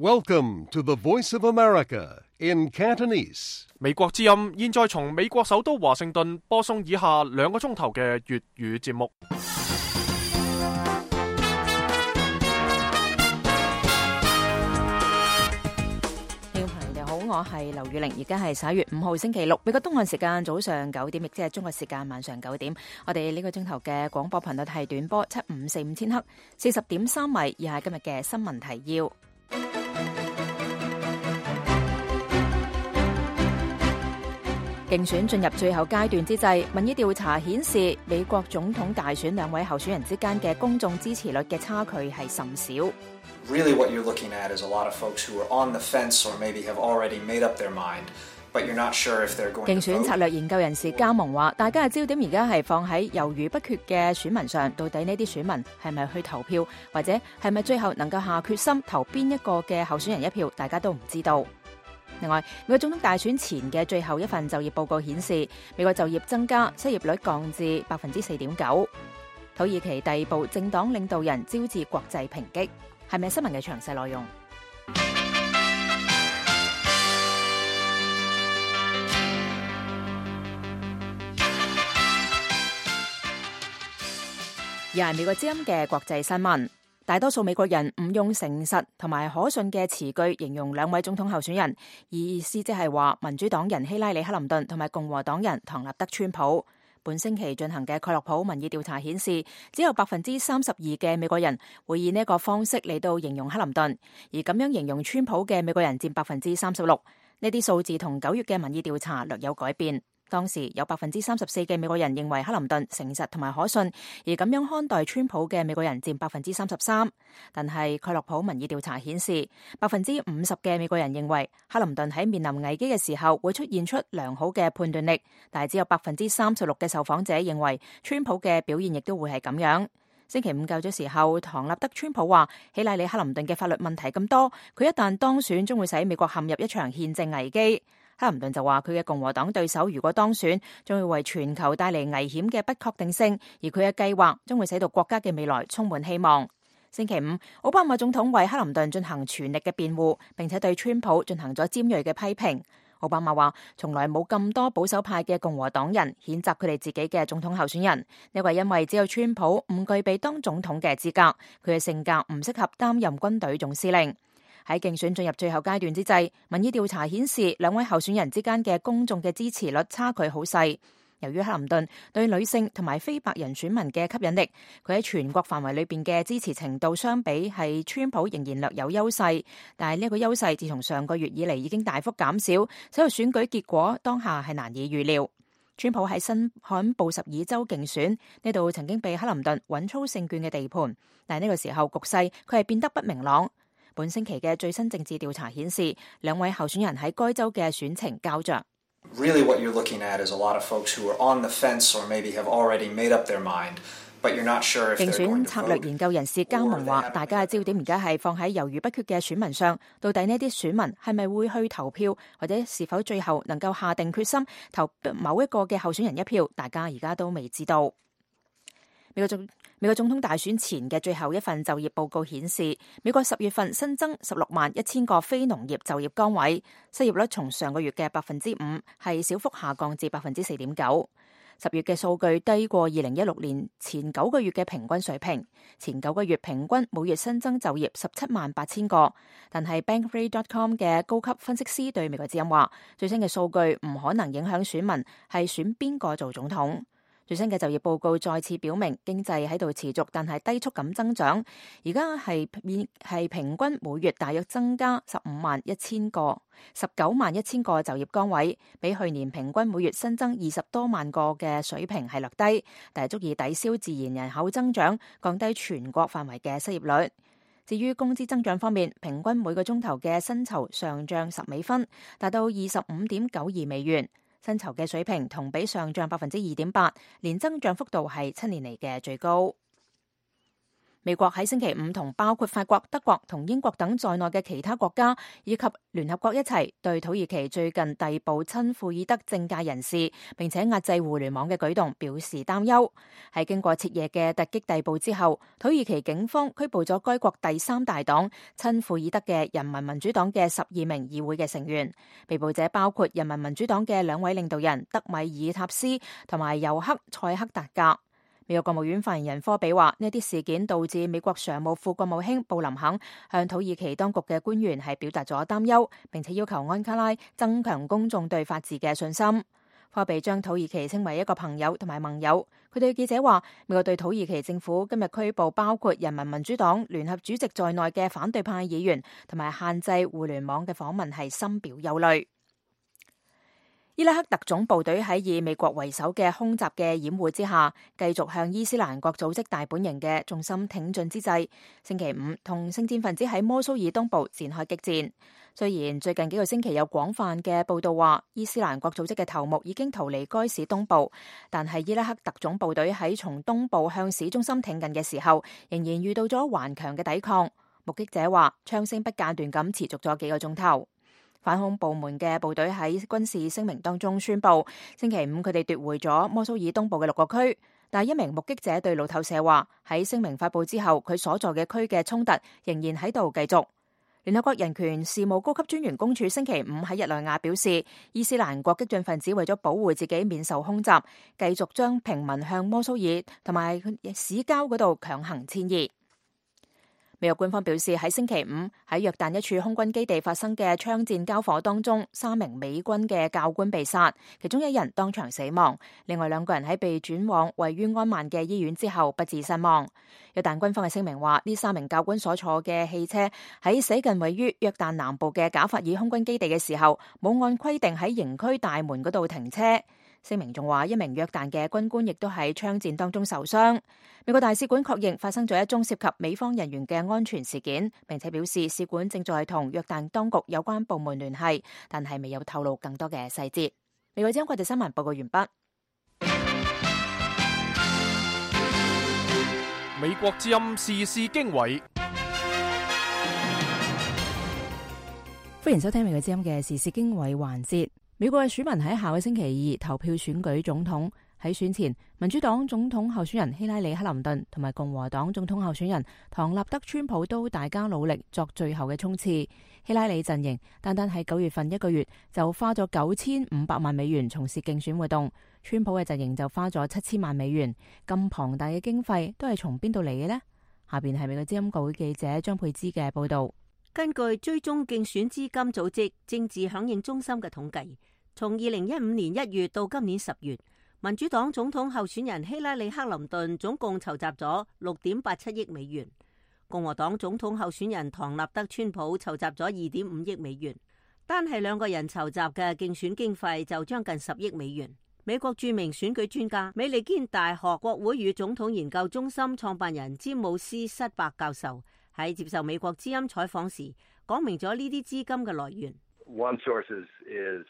Welcome to the Voice of America in Cantonese. 美國之音現在從美國首都華盛頓播送以下2個鐘頭嘅粵語節目。聽眾朋友好，我係劉宇玲，而家係11月5號星期六，美國東岸時間早上9點，亦即係中國時間晚上9點。我哋呢個鐘頭嘅廣播頻率係短波754千赫，40.3米。以下今日嘅新聞提要。競選進入最後階段之際，民意調查顯示美國總統大選2位候選人之間嘅公眾支持率嘅差距係甚少。Really what you're looking at is a lot of folks who are on the fence or maybe have already made up their mind, but you're not sure if they're going to vote. 競選策略研究人士加盟話，大家嘅焦點而家係放喺猶豫不決嘅選民上，到底呢啲選民係咪去投票，或者係咪最後能夠下決心投邊一個嘅候選人一票，大家都唔知道。另外，美國總統大選前嘅最後一份就業報告顯示，美國就業增加，失業率降至 4.9%。土耳其逮捕政黨領導人招致國際抨擊。係咪新聞嘅詳細內容？又係美國之音嘅國際新聞。大多數美國人唔用誠實同埋可信嘅詞句形容2位總統候選人，意思即係話民主黨人希拉里克林頓同埋共和黨人唐納德川普。本星期進行嘅蓋洛普民意調查顯示，只有 32% 嘅美國人會以呢一個方式嚟到形容克林頓，而咁樣形容川普嘅美國人佔 36%。呢啲數字同9月嘅民意調查略有改變。當時有 34% 嘅美國人認為克林頓誠實同埋可信，而咁樣看待川普嘅美國人佔 33%。但係蓋洛普民意調查顯示， 50% 嘅美國人認為克林頓喺面臨危機嘅時候會出現出良好嘅判斷力，但係只有 36% 嘅受訪者認為川普嘅表現亦都會係咁樣。星期五較早時候，唐納德川普話希拉里克林頓嘅法律問題咁多，佢一旦當選將會使美國陷入一場憲政危機。克林頓就話佢嘅共和黨對手如果當選，將會為全球帶嚟危險嘅不確定性，而佢嘅計劃將會使到國家嘅未來充滿希望。星期五，奧巴馬總統為克林頓進行全力嘅辯護，並且對川普進行咗尖銳嘅批評。奧巴馬話從來冇咁多保守派嘅共和黨人譴責佢哋自己嘅總統候選人，呢個係因為只有川普唔具備當總統嘅資格，佢嘅性格唔適合擔任軍隊總司令。喺競選進入最後階段之際，民意調查顯示2位候選人之間嘅公眾嘅支持率差距好細。由於克林頓對女性同埋非白人選民嘅吸引力，佢喺全國範圍裏邊嘅支持程度相比係川普仍然略有優勢，但係呢個優勢自從上個月以嚟已經大幅減少，使到選舉結果當下係難以預料。川普喺新罕布什爾州競選呢度曾經被克林頓穩操勝券嘅地盤，但係呢個時候局勢佢係變得不明朗。本星期嘅最新政治調查顯示，2位候選人喺該州嘅選情膠着。Really what you're looking at is a lot of folks who are on the fence or maybe have already made up their mind, but you're not sure if they're going to vote. 競選策略研究人士加盟話，大家嘅焦點而家係放喺猶豫不決嘅選民上，到底呢啲選民係咪會去投票，或者是否最後能夠下定決心投某一個嘅候選人一票，大家而家都未知道。美國總統大選前嘅最後一份就業報告顯示，美國10月份新增161000個非農業就業崗位，失業率從上個月嘅 5% 係小幅下降至 4.9%。10月嘅數據低過2016年前9個月嘅平均水平，前9個月平均每月新增就業178,000個。但係 Bankrate.com 嘅高級分析師對美國之音話，最新嘅數據唔可能影響選民係選邊個做總統。最新嘅就業報告再次表明，經濟喺度持續但係低速咁增長，而家係平均每月大約增加19萬1千個就業崗位，比去年平均每月新增20多萬個嘅水平係略低，但係足以抵消自然人口增長，降低全國範圍嘅失業率。至於工資增長方面，平均每個鐘頭嘅薪酬上漲10美分，達到25.92美元。薪酬嘅水平同比上漲 2.8%， 年增長幅度係7年嚟嘅最高。美國喺星期五同包括法國、德國同英國等在內嘅其他國家以及聯合國一齊對土耳其最近逮捕親庫爾德政界人士並且壓制互聯網嘅舉動表示擔憂。喺經過徹夜嘅突擊逮捕之後，土耳其警方拘捕咗該國第3大黨親庫爾德嘅人民民主黨嘅12名議會嘅成員。被捕者包括人民民主黨嘅2位領導人德米爾塔斯同埋尤克塞克達格。美國國務院發言人科比話：呢啲事件導致美國常務副國務卿布林肯向土耳其當局嘅官員係表達咗擔憂，並且要求安卡拉增強公眾對法治嘅信心。科比將土耳其稱為一個朋友同埋盟友。佢對記者話：美國對土耳其政府今日拘捕包括人民民主黨聯合主席在內嘅反對派議員，同埋限制互聯網嘅訪問係深表憂慮。伊拉克特種部隊喺以美國為首嘅空襲嘅掩護之下，繼續向伊斯蘭國組織大本營嘅重心挺進之際，星期五同聖戰分子喺摩蘇爾東部展開激戰。雖然最近幾個星期有廣泛嘅報道話伊斯蘭國組織嘅頭目已經逃離該市東部，但係伊拉克特種部隊喺從東部向市中心挺進嘅時候，仍然遇到咗頑強嘅抵抗。目擊者話，槍聲不間斷咁持續咗幾個鐘頭。反恐部門嘅部隊喺軍事聲明當中宣布，星期五佢哋奪回咗摩蘇爾東部嘅6個區。但一名目擊者對路透社話，喺聲明發布之後，佢所在嘅區嘅衝突仍然喺度繼續。聯合國人權事務高級專員公署星期五喺日內瓦表示，伊斯蘭國激進分子為咗保護自己免受空襲，繼續將平民向摩蘇爾同埋市郊嗰度強行遷移。美國官方表示，喺星期五喺約旦一處空軍基地發生嘅槍戰交火當中，3名美軍嘅教官被殺，其中1人當場死亡，另外2個人喺被轉往位於安曼嘅醫院之後不治身亡。約旦軍方嘅聲明話，呢3名教官所坐嘅汽車喺駛近位於約旦南部嘅賈法爾空軍基地嘅時候，冇按規定喺營區大門嗰度停車。聲明仲話，1名約旦嘅軍官亦都喺槍戰當中受傷。美國大使館確認發生咗一宗涉及美方人員嘅安全事件，並且表示使館正在同約旦當局有關部門聯繫，但係未有透露更多嘅細節。美國之音國際新聞報告完畢。美國之音時事經緯，歡迎收聽美國之音嘅時事經緯環節。美國嘅選民喺下個星期2投票選舉總統。喺選前，民主黨總統候選人希拉里克林頓同埋共和黨總統候選人唐納德川普都大家努力作最後嘅衝刺。希拉里陣營單單喺9月份1個月就花咗9500萬美元從事競選活動，川普嘅陣營就花咗7000萬美元。咁龐大嘅經費都係從邊度嚟嘅呢？下邊係美國之音國會記者張佩芝嘅報道。根據追蹤競選資金組織政治響應中心嘅統計，從2015年1月到今年10月，民主黨總統候選人希拉里克林頓總共籌集咗6.87億美元，共和黨總統候選人唐納德川普籌集咗2.5億美元，單係2個人籌集嘅競選經費就將近10億美元。美國著名選舉專家美利堅大學國會與總統研究中心創辦人詹姆斯塞伯教授喺接受美國之音採訪時，講明咗呢啲資金嘅來源。One source is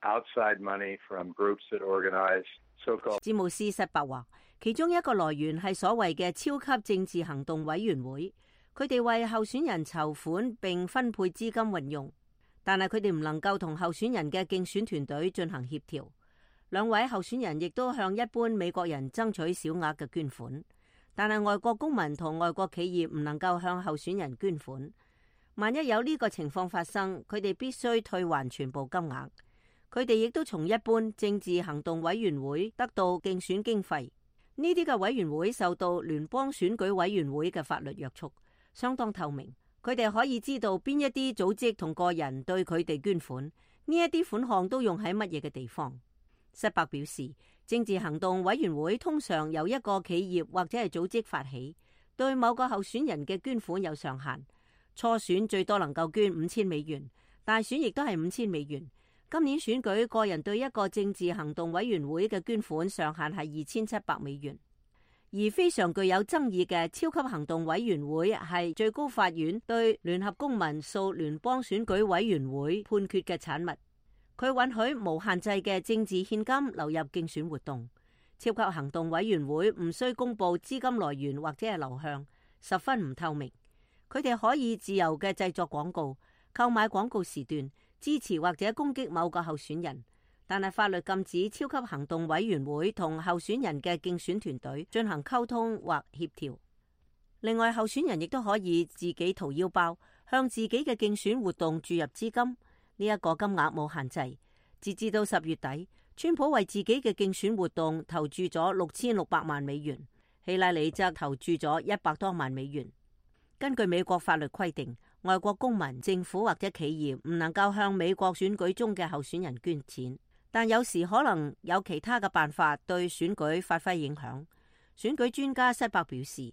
outside money from groups that organize so-called。詹姆斯塞伯話，其中一個來源係所謂嘅超級政治行動委員會，佢哋為候選人籌款並分配資金運用，但係佢哋唔能夠同候選人嘅競選團隊進行協調。2位候選人亦都向一般美國人爭取小額嘅捐款，但係外國公民同外國企業唔能夠向候選人捐款。萬一有呢個情況發生，佢哋必須退還全部金額。佢哋亦都從一般政治行動委員會得到競選經費。呢啲嘅委員會受到聯邦選舉委員會嘅法律約束，相當透明。佢哋可以知道邊一啲組織同個人對佢哋捐款，呢一啲款項都用喺乜嘢嘅地方。塞伯表示，政治行動委員會通常由一個企業或者係組織發起，對某個候選人嘅捐款有上限。初選最多能夠捐5000美元，大選亦都係5000美元。今年選舉個人對一個政治行動委員會嘅捐款上限係2700美元。而非常具有爭議嘅超級行動委員會係最高法院對聯合公民訴聯邦選舉委員會判決嘅產物。佢允許無限制嘅政治獻金流入競選活動。超級行動委員會唔需公布資金來源或者係流向，十分唔透明。佢哋可以自由嘅製作廣告、購買廣告時段、支持或者攻擊某個候選人，但係法律禁止超級行動委員會同候選人嘅競選團隊進行溝通或協調。另外，候選人亦都可以自己掏腰包，向自己嘅競選活動注入資金。呢一個金額冇限制。截至到10月底，川普為自己嘅競選活動投注咗6600萬美元，希拉里則投注咗100多萬美元。根據美國法律規定，外國公民、政府或者企業唔能夠向美國選舉中嘅候選人捐錢，但有時可能有其他嘅辦法對選舉發揮影響。選舉專家塞伯表示，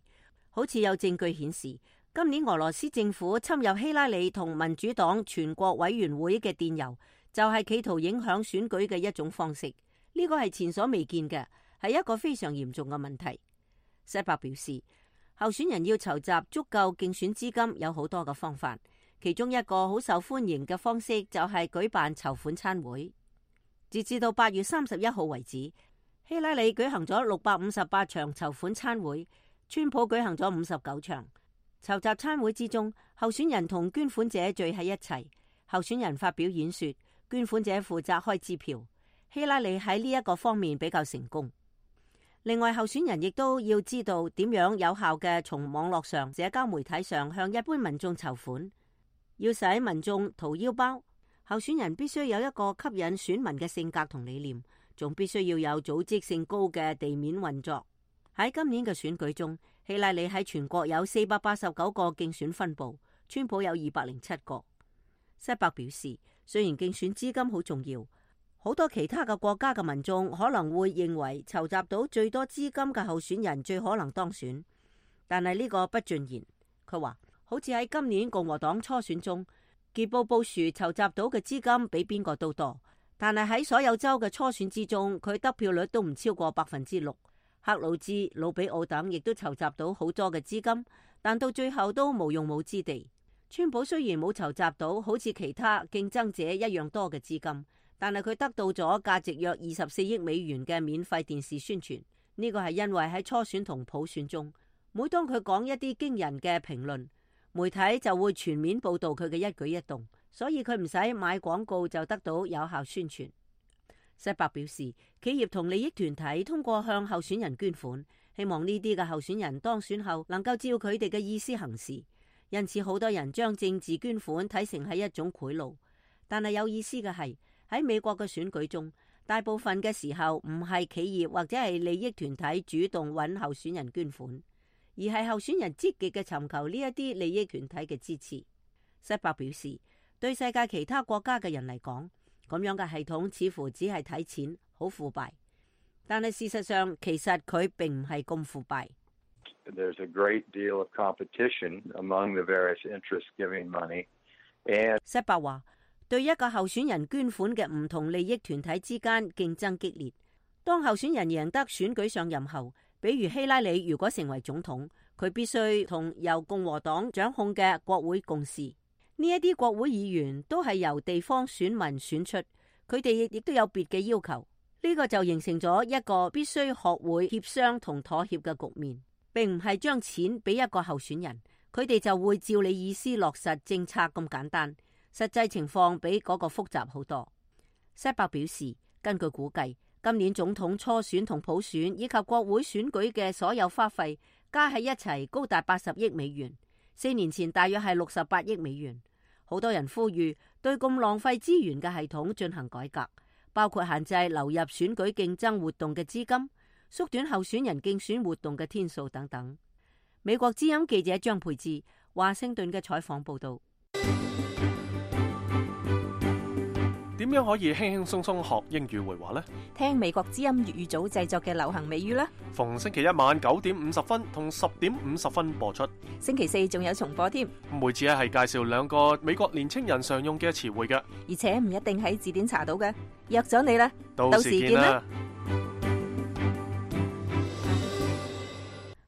好似有證據顯示，今年俄羅斯政府侵入希拉里同民主黨全國委員會嘅電郵，就係企圖影響選舉嘅一種方式。呢個係前所未見嘅，係一個非常嚴重嘅問題。塞伯表示，候選人要籌集足夠競選資金有好多嘅方法，其中一個好受歡迎嘅方式就係舉辦籌款餐會。截至到8月31號為止，希拉里舉行咗658場籌款餐會，川普舉行咗59場。籌集餐會之中，候選人同捐款者聚喺一齊，候選人發表演說，捐款者負責開支票。希拉里喺呢一個方面比較成功。另外，候選人亦都要知道點樣有效嘅從網絡上、社交媒體上向一般民眾籌款。要使民眾掏腰包，候選人必須有一個吸引選民嘅性格同理念，仲必須要有組織性高嘅地面運作。喺今年嘅選舉中，希拉里喺全國有489個競選分部，川普有207個。塞伯表示，雖然競選資金好重要，好多其他嘅國家嘅民眾可能會認為籌集到最多資金嘅候選人最可能當選，但係呢個不盡然。佢話，好似喺今年共和黨初選中，傑布布殊籌集到嘅資金比邊個都多，但係喺所有州嘅初選之中，佢得票率都唔超過6%。克魯茲、魯比奧等亦都籌集到好多嘅資金，但到最後都無用武之地。川普雖然冇籌集到好似其他競爭者一樣多嘅資金，但係佢得到咗價值約24億美元嘅免費電視宣傳。呢個係因為喺初選同普選中，每當佢講一啲驚人嘅評論，媒體就會全面報道佢嘅一舉一動，所以佢唔使買廣告就得到有效宣傳。塞伯表示，企業同利益團體通過向候選人捐款，希望呢啲嘅候選人當選後能夠照佢哋嘅意思行事。因此，好多人將政治捐款睇成係一種賄賂。但係有意思嘅係，喺美國嘅選舉中，大部分嘅時候唔係企業或者係利益團體主動揾候選人捐款，而係候選人積極嘅尋求呢一啲利益團體嘅支持。塞伯表示，對世界其他國家嘅人嚟講，咁樣嘅系統似乎只係睇錢，好腐敗。但係事實上，其實佢並唔係咁腐敗。There's a great deal of competition among the various interests giving money. And 塞伯話，對一個候選人捐款嘅唔同利益團體之間競爭激烈。當候選人贏得選舉上任後，比如希拉里如果成為總統，佢必須同由共和黨掌控嘅國會共事。呢一啲國會議員都係由地方選民選出，佢哋亦都有別嘅要求。呢個就形成咗一個必須學會協商同妥協嘅局面，並唔係將錢俾一個候選人，佢哋就會照你意思落實政策咁簡單。實際情況比嗰個複雜好多。塞伯表示，根據估計，今年總統初選同普選以及國會選舉嘅所有花費加喺一齊高達80億美元，4年前大約係68億美元。好多人呼籲對咁浪費資源嘅系統進行改革，包括限制流入選舉競爭活動嘅資金，縮短候選人競選活動嘅天數等等。美國之音記者張佩芝華盛頓嘅採訪報道。點樣可以輕輕鬆鬆學英語會話呢？聽美國之音粵語組製作嘅流行美語啦。逢星期一晚9點50分同10點50分播出。星期四仲有重播添。每次係介紹2個美國年青人常用嘅詞彙嘅，而且唔一定喺字典查到嘅。約咗你啦，到時見啦。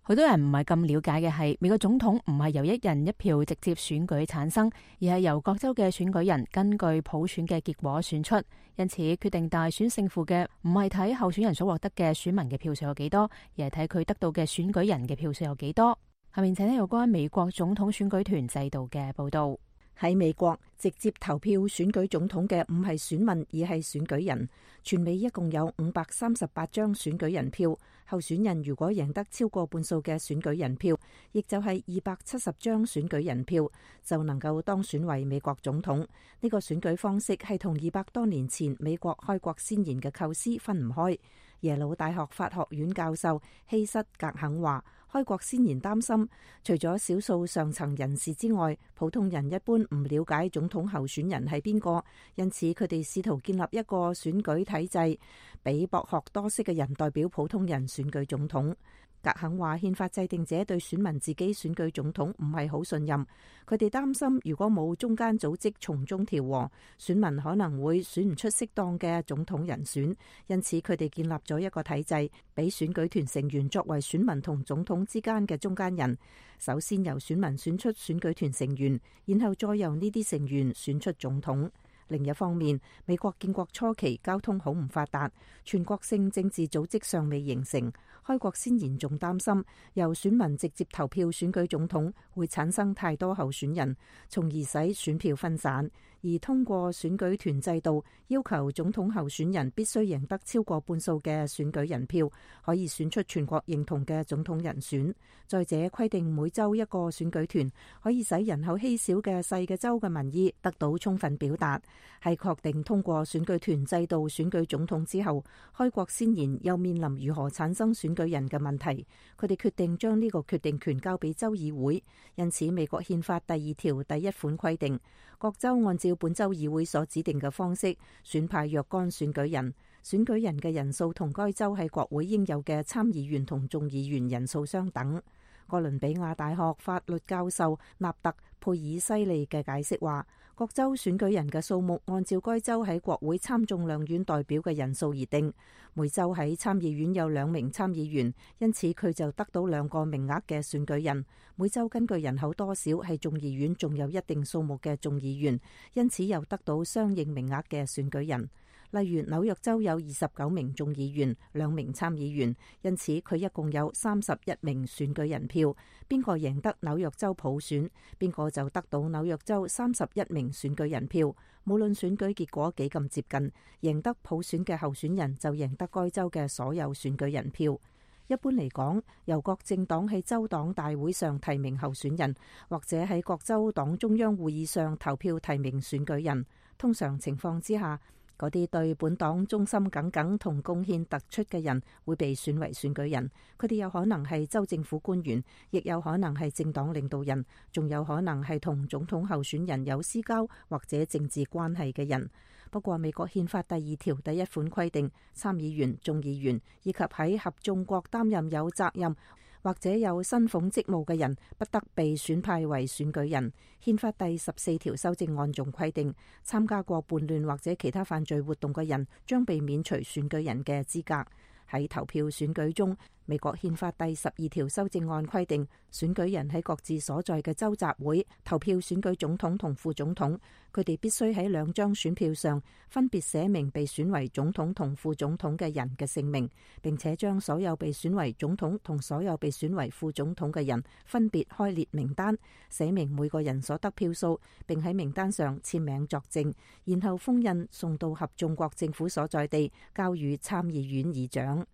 好多人唔係咁了解嘅係，美國總統唔係由一人一票直接選舉產生，而係由各州嘅選舉人根據普選嘅結果選出。因此，決定大選勝負嘅唔係睇候選人所獲得嘅選民嘅票數有幾多，而係睇佢得到嘅選舉人嘅票數有幾多。下面請聽有關美國總統選舉團制度嘅報道。喺美國，直接投票選舉總統嘅唔係選民，而係選舉人。全美一共有538張選舉人票，候選人如果贏得超過半數嘅選舉人票，亦就係270張選舉人票，就能夠當選為美國總統。呢個選舉方式係同200多年前美國開國先賢嘅構思分唔開。耶魯大學法學院教授希瑟格肯話，開國先賢擔心，除咗少數上層人士之外，普通人一般唔了解總統候選人係邊個，因此佢哋試圖建立一個選舉體制，俾博學多識嘅人代表普通人選舉總統。格肯話，憲法制定者對選民自己選舉總統唔係好信任，佢哋擔心如果冇中間組織從中調和，選民可能會選唔出適當嘅總統人選，因此佢哋建立咗一個體制，俾選舉團成員作為選民同總統之間嘅中間人。首先由選民選出選舉團成員，然後再由呢啲成員選出總統。另一方面，美國建國初期交通好唔發達，全國性政治組織尚未形成。開國先賢仲擔心由選民直接投票選舉總統會產生太多候選人，從而使選票分散。而通過選舉團制度，要求總統候選人必須贏得超過半數嘅選舉人票，可以選出全國認同嘅總統人選。再者，規定每州一個選舉團，可以使人口稀少嘅細嘅州嘅民意得到充分表達。係確定通過選舉團制度選舉總統之後，開國先賢又面臨如何產生選舉人嘅問題。佢哋決定將呢個決定權交俾州議會。因此，美國憲法第2條第1款規定，各州按照本州議會所指定嘅方式選派若干選舉人，選舉人嘅人數同該州喺國會應有嘅參議員同眾議員人數相等。哥倫比亞大學法律教授納特佩爾西利嘅解釋話，各州選舉人嘅數目按照該州喺國會參眾兩院代表嘅人數而定。每州喺參議院有2名參議員，因此佢就得到2個名額嘅選舉人。每州根據人口多少喺眾議院仲有一定數目嘅眾議員，因此又得到相應名額嘅選舉人。例如紐約州有29名眾議員、2名參議員，因此佢一共有31名選舉人票。邊個贏得紐約州普選，邊個就得到紐約州31名選舉人票。無論選舉結果幾咁接近，贏得普選嘅候選人就贏得該州嘅所有選舉人票。一般嚟講，由各政黨喺州黨大會上提名候選人，或者喺各州黨中央會議上投票提名選舉人。通常情況之下，嗰啲對本黨忠心耿耿同貢獻突出嘅人會被選為選舉人。佢哋有可能係州政府官員，亦有可能係政黨領導人，仲有可能係同總統候選人有私交或者政治關係嘅人。不過美國憲法第2條第1款規定，參議員、眾議員以及喺合眾國擔任有責任或者有薪俸職務嘅人，不得被選派為選舉人。憲法第14條修正案仲規定，參加過叛亂或者其他犯罪活動嘅人將被免除選舉人嘅資格。喺投票選舉中，美國憲法第12條修正案規定，選舉人喺各自所在嘅州集會投票選舉總統同副總統，佢哋必須喺2張選票上分別寫明被選為總統同副總統嘅人嘅姓名，並且將所有被選為總統同所有被選為副總統嘅人分別開列名單，寫明每個人所得票數，並喺名單上簽名作證，然後封印送到合眾國政府所在地，交予參議院議長。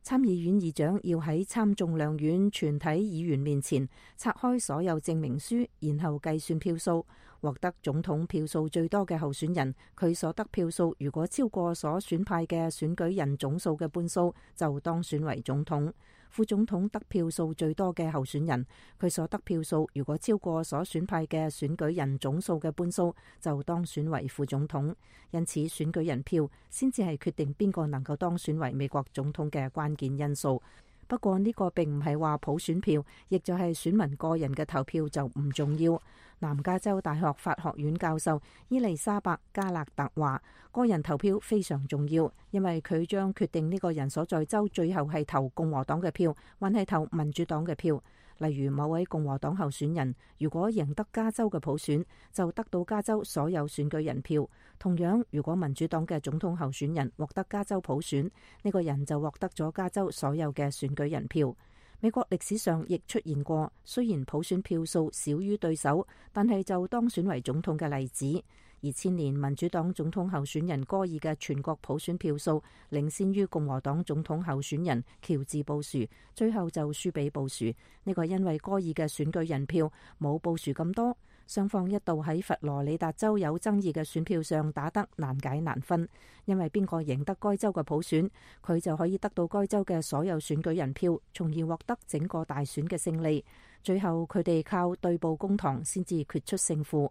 參議院議長要喺參眾兩院全體議員面前拆開所有證明書，然後計算票數。獲得總統票數最多嘅候選人，佢所得票數如果超過所選派嘅選舉人總數嘅半數，就當選為總統。副總統得票數最多嘅候選人，佢所得票數如果超過所選派嘅選舉人總數嘅半數，就當選為副總統。因此，選舉人票先至係決定邊個能夠當選為美國總統嘅關鍵因素。不過呢個並唔係話普選票，亦就係選民個人嘅投票就唔重要。南加州大學法學院教授伊麗莎白加勒特話，個人投票非常重要，因為佢將決定呢個人所在州最後係投共和黨嘅票，還係投民主黨嘅票。例如某位共和黨候選人如果贏得加州嘅普選，就得到加州所有選舉人票。同樣，如果民主黨嘅總統候選人獲得加州普選，呢個人就獲得咗加州所有嘅選舉人票。美國歷史上亦出現過，雖然普選票數少於對手，但係就當選為總統嘅例子。2000年民主黨總統候選人戈爾嘅全國普選票數領先於共和黨總統候選人喬治布殊，最後就輸俾布殊。呢個因為戈爾嘅選舉人票冇布殊咁多。雙方一度喺佛羅里達州有爭議嘅選票上打得難解難分，因為邊個贏得該州嘅普選，佢就可以得到該州嘅所有選舉人票，從而獲得整個大選嘅勝利。最後佢哋靠對簿公堂先至決出勝負。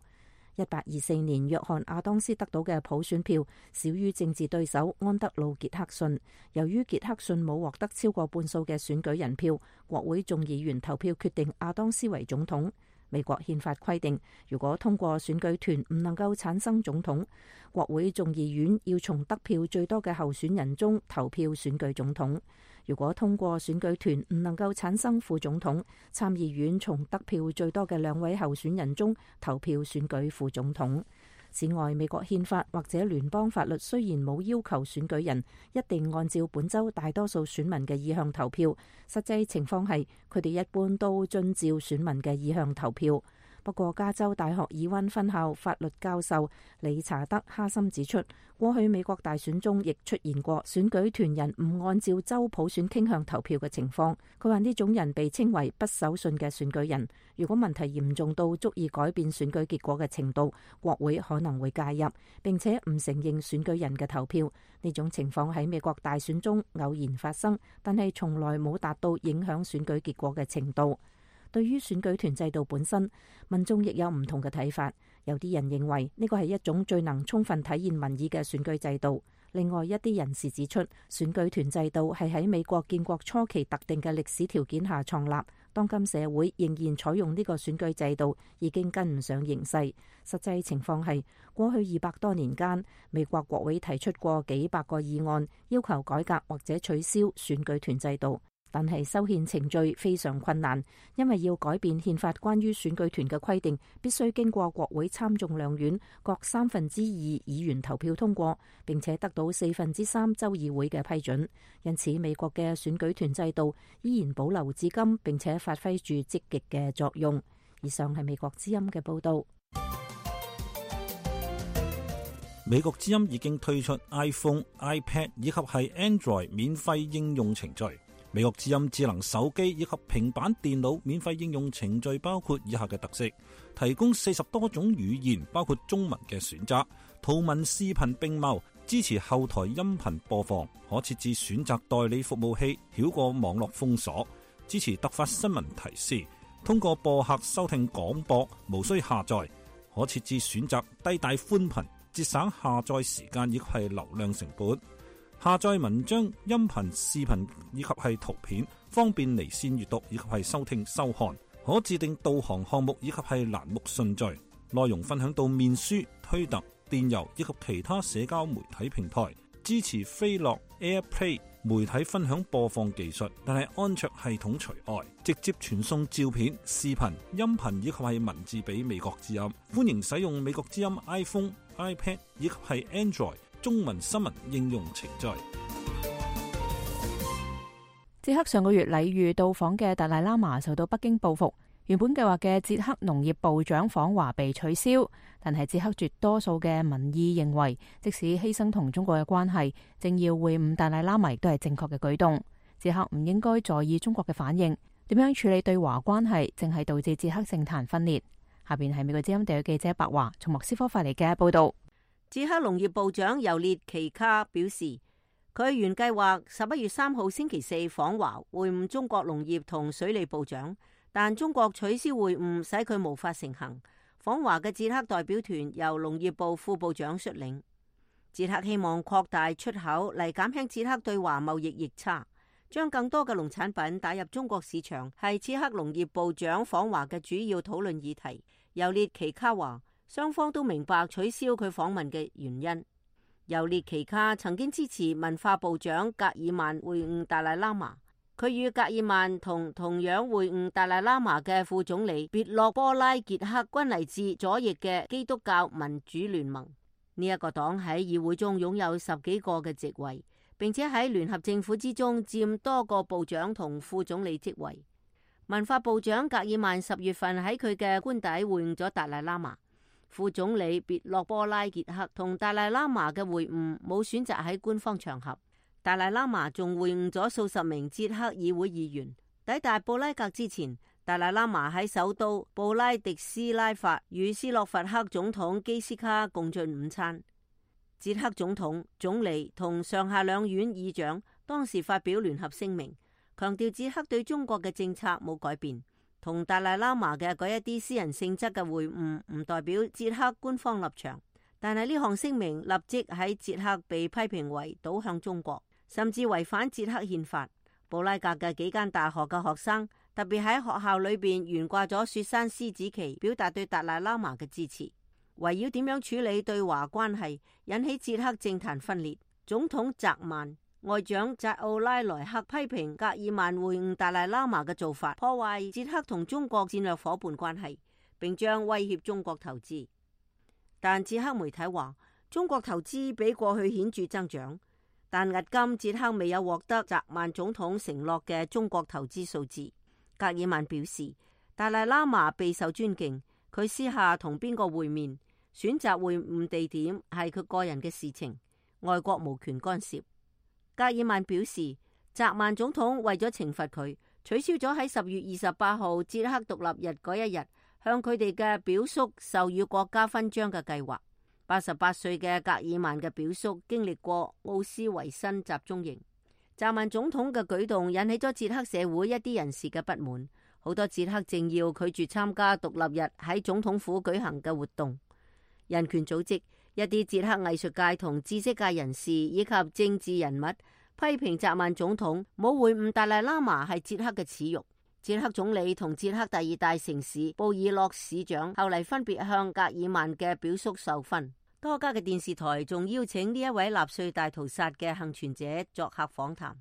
1824年約翰亞當斯得到嘅普選票少於政治對手安德魯傑克遜，由於傑克遜冇獲得超過半數嘅選舉人票，國會眾議員投票決定亞當斯為總統。美國憲法規定，如果通過選舉團唔能夠產生總統，國會眾議院要從得票最多嘅候選人中投票選舉總統。如果通過選舉團唔能夠產生副總統，參議院從得票最多嘅2位候選人中投票選舉副總統。此外，美國憲法或者聯邦法律雖然冇要求選舉人一定按照本州大多數選民嘅意向投票，實際情況係佢哋一般都遵照選民嘅意向投票。不過，加州大學爾溫分校法律教授理查德哈森指出，過去美國大選中亦出現過選舉團人唔按照州普選傾向投票嘅情況。佢話呢種人被稱為不守信嘅選舉人。如果問題嚴重到足以改變選舉結果嘅程度，國會可能會介入，並且唔承認選舉人嘅投票。呢種情況喺美國大選中偶然發生，但係從來冇達到影響選舉結果嘅程度。對於選舉團制度本身，民眾亦有唔同嘅睇法。有啲人認為呢個係一種最能充分體現民意嘅選舉制度。另外一啲人士指出，選舉團制度係喺美國建國初期特定嘅歷史條件下創立。當今社會仍然採用呢個選舉制度，已經跟唔上形勢。實際情況係，過去200多年間，美國國會提出過幾百個議案，要求改革或者取消選舉團制度。但係修憲程序非常困難，因為要改變憲法關於選舉團嘅規定，必須經過國會參眾兩院各2/3議員投票通過，並且得到3/4州議會嘅批准。因此，美國嘅選舉團制度依然保留至今，並且發揮住積極嘅作用。以上係美國之音嘅報道。美國之音已經推出 iPhone、iPad 以及係 Android 免費應用程序。美國之音智能手機以及平板電腦免費應用程序包括以下嘅特色：提供40多種語言，包括中文嘅選擇，圖文視頻並茂，支持後台音頻播放，可設置選擇代理服務器，繞過網絡封鎖，支持突發新聞提示，通過播客收聽廣播，無需下載，可設置選擇低帶寬頻，節省下載時間亦係流量成本。下載文章、音頻、視頻以及係圖片，方便離線閱讀以及係收聽收看。可自定導航項目以及係欄目順序，內容分享到面書、推特、電郵以及其他社交媒體平台。支持飛樂 AirPlay 媒體分享播放技術，但係安卓系統除外。直接傳送照片、視頻、音頻以及係文字俾美國之音。歡迎使用美國之音 iPhone、iPad 以及係 Android中文新聞應用程序。捷克上個月禮遇到訪嘅達賴喇嘛受到北京報復，原本計劃嘅捷克農業部長訪華被取消。但係捷克絕多數嘅民意認為，即使犧牲同中國嘅關係，政要會晤達賴喇嘛亦都係正確嘅舉動。捷克唔應該在意中國嘅反應，點樣處理對華關係，正係導致捷克政壇分裂。下邊係美國之音地約記者白華從莫斯科發嚟嘅報道。捷克農業部長尤列奇卡表示，佢原計劃11月3號星期四訪華會晤中國農業同水利部長，但中國取消會晤，使佢無法成行。訪華嘅捷克代表團由農業部副部長率領。捷克希望擴大出口嚟減輕捷克對華貿易逆差，將更多嘅農產品打入中國市場，係捷克農業部長訪華嘅主要討論議題。尤列奇卡話，雙方都明白取消佢訪問嘅原因。尤列奇卡曾經支持文化部長格爾曼會晤達賴喇嘛，佢與格爾曼同樣會晤達賴喇嘛嘅副總理別洛波拉傑克均嚟自左翼嘅基督教民主聯盟。呢一個黨喺議會中擁有10幾個嘅席位，並且喺聯合政府之中佔多個部長同副總理職位。文化部長格爾曼10月份喺佢嘅官邸會晤咗達賴喇嘛。副總理別洛波拉傑克同達賴喇嘛嘅會晤冇選擇喺官方場合。達賴喇嘛仲會晤咗數十名捷克議會議員。抵達布拉格之前，達賴喇嘛喺首都布拉迪斯拉法與斯洛伐克總統基斯卡共進午餐。捷克總統、總理同上下兩院議長當時發表聯合聲明，強調捷克對中國嘅政策冇改變。同達賴喇嘛嘅嗰一啲私人性質嘅會晤唔代表捷克官方立場，但係呢項聲明立即喺捷克被批評為倒向中國，甚至違反捷克憲法。布拉格嘅幾間大學嘅學生特別喺學校裏邊懸掛咗雪山獅子旗，表達對達賴喇嘛嘅支持。圍繞點樣處理對華關係，引起捷克政壇分裂。總統澤曼、外長扎奧拉萊克批評格爾曼會晤達賴喇嘛嘅做法破壞捷克同中國戰略夥伴關係，並將威脅中國投資。但捷克媒體話，中國投資比過去顯著增長，但迄今捷克未有獲得澤曼總統承諾嘅中國投資數字。格爾曼表示，達賴喇嘛備受尊敬，佢私下同邊個會面、選擇會晤地點係佢個人嘅事情，外國無權干涉。格爾曼表示，澤曼總統為咗懲罰佢，取消咗喺10月28號捷克獨立日嗰一日向佢哋嘅表叔授予國家勳章嘅計劃。88歲嘅格爾曼嘅表叔經歷過奧斯維辛集中營。澤曼總統嘅舉動引起咗捷克社會一啲人士嘅不滿，好多捷克政要拒絕參加獨立日喺總統府舉行嘅活動。人權組織、一啲捷克藝術界同知識界人士以及政治人物批評澤曼總統冇會晤達賴喇嘛係捷克嘅恥辱。捷克總理同捷克第2大城市布爾諾市長後嚟分別向格爾曼嘅表叔授勳。多家嘅電視台仲邀請呢一位納粹大屠殺嘅幸存者作客訪談。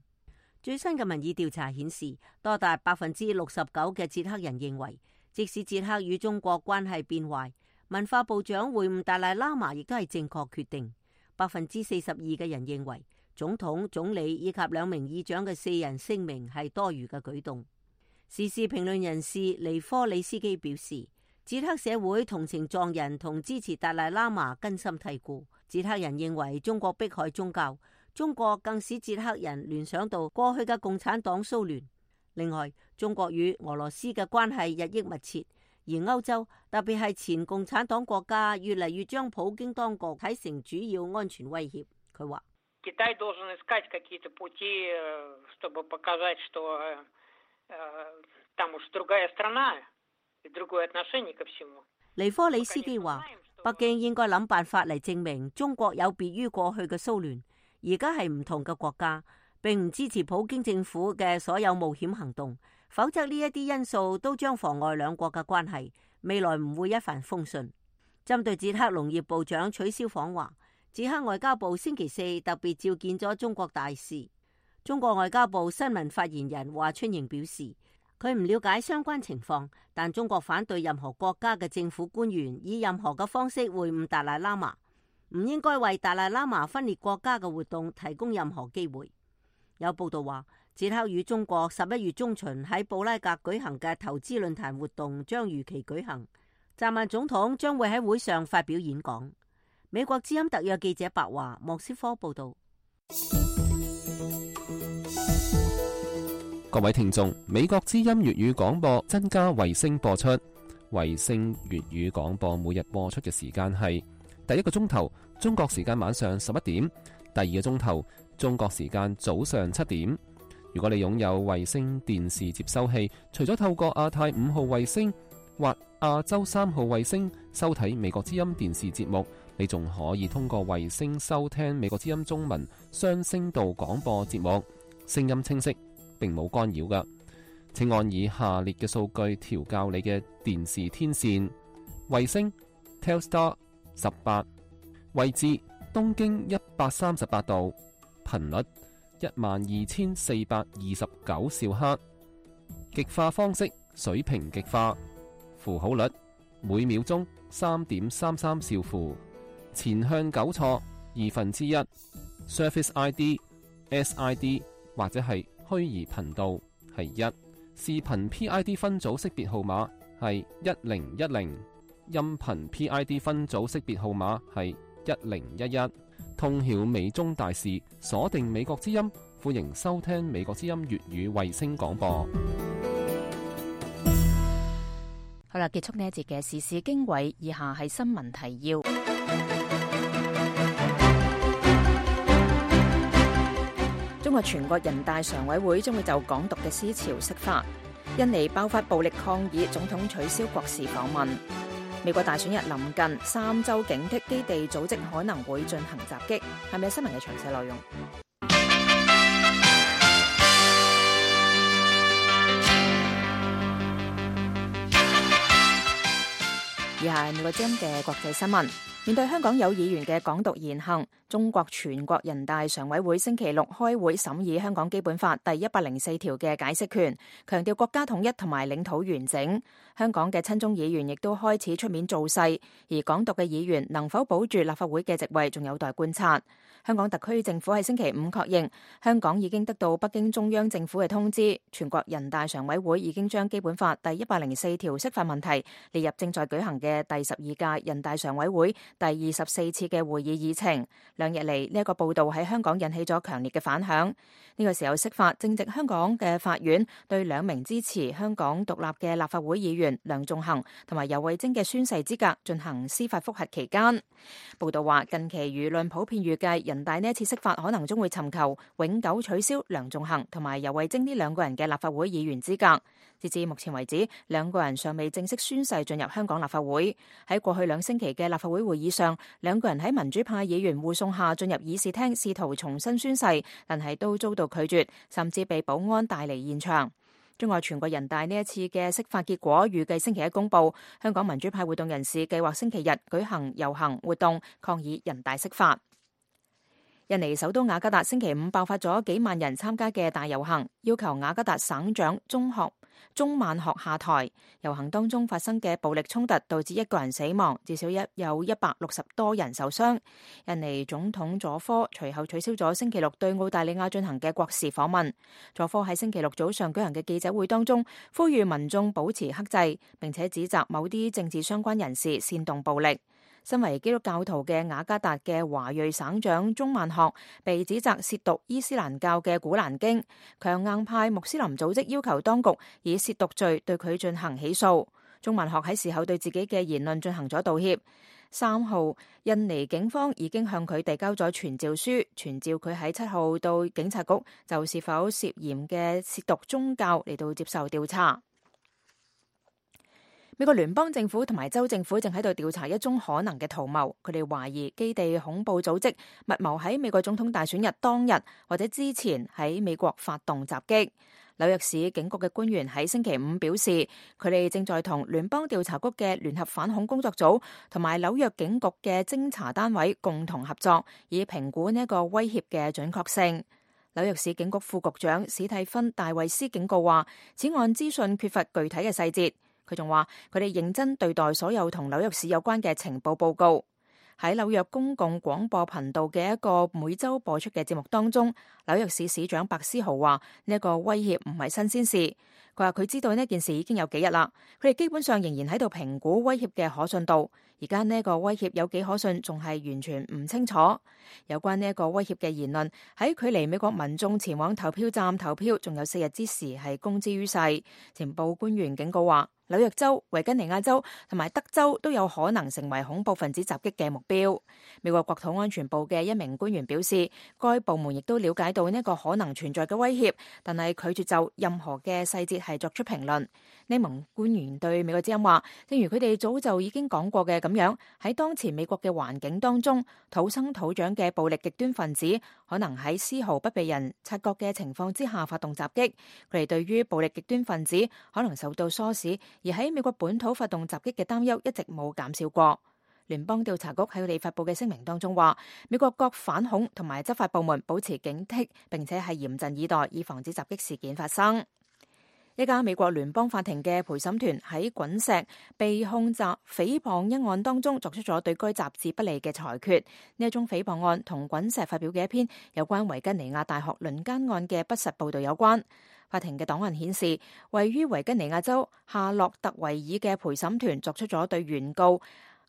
最新嘅民意調查顯示，多達69%嘅捷克人認為，即使捷克與中國關係變壞，文化部長會晤達賴喇嘛亦都係正確決定。42%嘅人認為，總統、總理以及2名議長嘅4人聲明係多餘嘅舉動。時事評論人士尼科里斯基表示，捷克社會同情藏人同支持達賴喇嘛根深蒂固。捷克人認為中國迫害宗教，中國更使捷克人聯想到過去嘅共產黨蘇聯。另外，中國與俄羅斯嘅關係日益密切，而歐洲特別係前共產黨國家越嚟越將普京當局睇成主要安全威脅。佢話：尼科里斯基話，北京應該諗辦法嚟證明中國有別於過去嘅蘇聯，而家係唔同嘅國家，並唔支持普京政府嘅所有冒險行動，否則呢一啲因素都將妨礙兩國嘅關係，未來唔會一帆風順。針對捷克農業部長取消訪華，捷克外交部星期4特別召見咗中國大使。中國外交部新聞發言人華春瑩表示，佢唔了解相關情況，但中國反對任何國家嘅政府官員以任何嘅方式會晤達賴喇嘛，唔應該為達賴喇嘛分裂國家嘅活動提供任何機會。有報道話，捷克與中國11月中旬喺布拉格舉行嘅投資論壇活動將如期舉行，澤曼總統將會喺會上發表演講。美國之音特約記者白華莫斯科報道。各位聽眾，美國之音粵語廣播增加衛星播出。衛星粵語廣播每日播出嘅時間係第一個鐘頭中國時間晚上11點，第二個鐘頭中國時間早上7點。如果你擁有衛星電視接收器，除咗透過亞太5號衛星或亞洲3號衛星收睇美國之音電視節目，你仲可以通過衛星收聽美國之音中文雙聲道廣播節目，聲音清晰，並冇干擾㗎。請按以下列嘅數據調校你嘅電視天線：衛星 Telstar 18，位置東經138度，頻率12429兆赫，極化方式水平極化，符號率每秒鐘3.33兆符，前向糾錯1/2，Surface ID SID 或者係虛擬頻道係1，視頻 PID 分組識別號碼係1010，音頻 PID 分組識別號碼係1011。通曉美中大事，鎖定美國之音，歡迎收聽美國之音粵語衛星廣播。好啦，結束呢一節嘅時事經緯，以下係新聞提要。中國全國人大常委會將會就港獨嘅思潮釋法。印尼爆發暴力抗議，總統取消國事訪問。美國大選日臨近，3州警惕基地組織可能會進行襲擊。係咪新聞嘅詳細內容？以下係美國之音嘅國際新聞。面對香港有議員嘅港獨言行，中國全國人大常委會星期六開會審議香港基本法第104條嘅解釋權，強調國家統一同埋領土完整。香港嘅親中議員亦都開始出面造勢，而港獨嘅議員能否保住立法會嘅席位，仲有待觀察。香港特區政府喺星期五確認，香港已經得到北京中央政府嘅通知，全國人大常委會已經將基本法第104條釋法問題列入正在舉行嘅第12屆人大常委會第24次嘅會議議程。2日嚟，呢一個報道喺香港引起咗強烈嘅反響。呢個時候釋法正值香港嘅法院對2名支持香港獨立嘅立法會議員梁頌恆同埋游蕙禎嘅宣誓資格進行司法覆核期間。報道話，近期輿論普遍預計人大呢一次釋法可能將會尋求永久取消梁頌恆同埋游蕙禎呢2個人嘅立法會議員資格。截至目前為止，2個人尚未正式宣誓進入香港立法會。喺過去2星期嘅立法會會議上，2個人喺民主派議員護送下進入議事廳，試圖重新宣誓，但係都遭到拒絕，甚至被保安帶離現場。中國全國人大呢一次嘅釋法結果預計星期一公佈。香港民主派活動人士計劃星期日舉行遊行活動，抗議人大釋法。印尼首都雅加達星期五爆發咗幾萬人參加嘅大遊行，要求雅加達省長中曼學下台。遊行當中發生嘅暴力衝突導致1個人死亡，至少有160多人受傷。印尼總統佐科隨後取消咗星期六對澳大利亞進行嘅國事訪問。佐科喺星期六早上舉行嘅記者會當中，呼籲民眾保持克制，並且指責某啲政治相關人士煽動暴力。身為基督教徒嘅雅加達嘅華裔省長中曼學被指責褻瀆伊斯蘭教嘅古蘭經，強硬派穆斯林組織要求當局以褻瀆罪對佢進行起訴。中曼學喺事後對自己嘅言論進行咗道歉。3號，印尼警方已經向佢遞交咗傳召書，傳召佢喺7號到警察局就是否涉嫌嘅褻瀆宗教嚟到接受調查。美國聯邦政府同埋州政府正喺度調查一宗可能嘅圖謀，佢哋懷疑基地恐怖組織密謀喺美國總統大選日當日或者之前喺美國發動襲擊。紐約市警局嘅官員喺星期五表示，佢哋正在同聯邦調查局嘅聯合反恐工作組同埋紐約警局嘅偵查單位共同合作，以評估呢一個威脅嘅準確性。紐約市警局副局長史蒂芬戴維斯警告話，此案資訊缺乏具體嘅細節。佢仲話，佢哋認真對待所有同紐約市有關嘅情報報告。喺紐約公共廣播頻道嘅一個每週播出嘅節目當中，紐約市市長白思豪話呢一個威脅唔係新鮮事。佢話佢知道呢件事已經有幾日啦，佢哋基本上仍然喺度評估威脅嘅可信度。而家呢一個威脅有幾可信，仲係完全唔清楚。有關呢一個威脅嘅言論喺距離美國民眾前往投票站投票仲有4日之時係公之於世。情報官員警告話，紐約州、維吉尼亞州同埋德州都有可能成為恐怖分子襲擊嘅目標。美國國土安全部嘅一名官員表示，該部門亦都了解到呢一個可能存在嘅威脅，但係拒絕就任何嘅細節係作出評論。呢名官員對美國之音話，正如佢哋早就已經講過嘅咁樣，喺當前美國嘅環境當中，土生土長嘅暴力極端分子可能喺絲毫不被人察覺嘅情況之下發動襲擊。佢哋對於暴力極端分子可能受到唆使而喺美國本土發動襲擊嘅擔憂一直冇減少過。聯邦調查局喺佢哋發佈嘅聲明當中話，美國各反恐同埋執法部門保持警惕，並且係嚴陣以待，以防止襲擊事件發生。一家美國聯邦法庭嘅陪審團喺滾石被控襲誹謗一案當中作出咗對該雜誌不利嘅裁決。呢一宗誹謗案同滾石發表嘅一篇有關維吉尼亞大學輪姦案嘅不實報導有關。法庭嘅檔案顯示，位於維吉尼亞州夏洛特維爾嘅陪審團作出咗對原告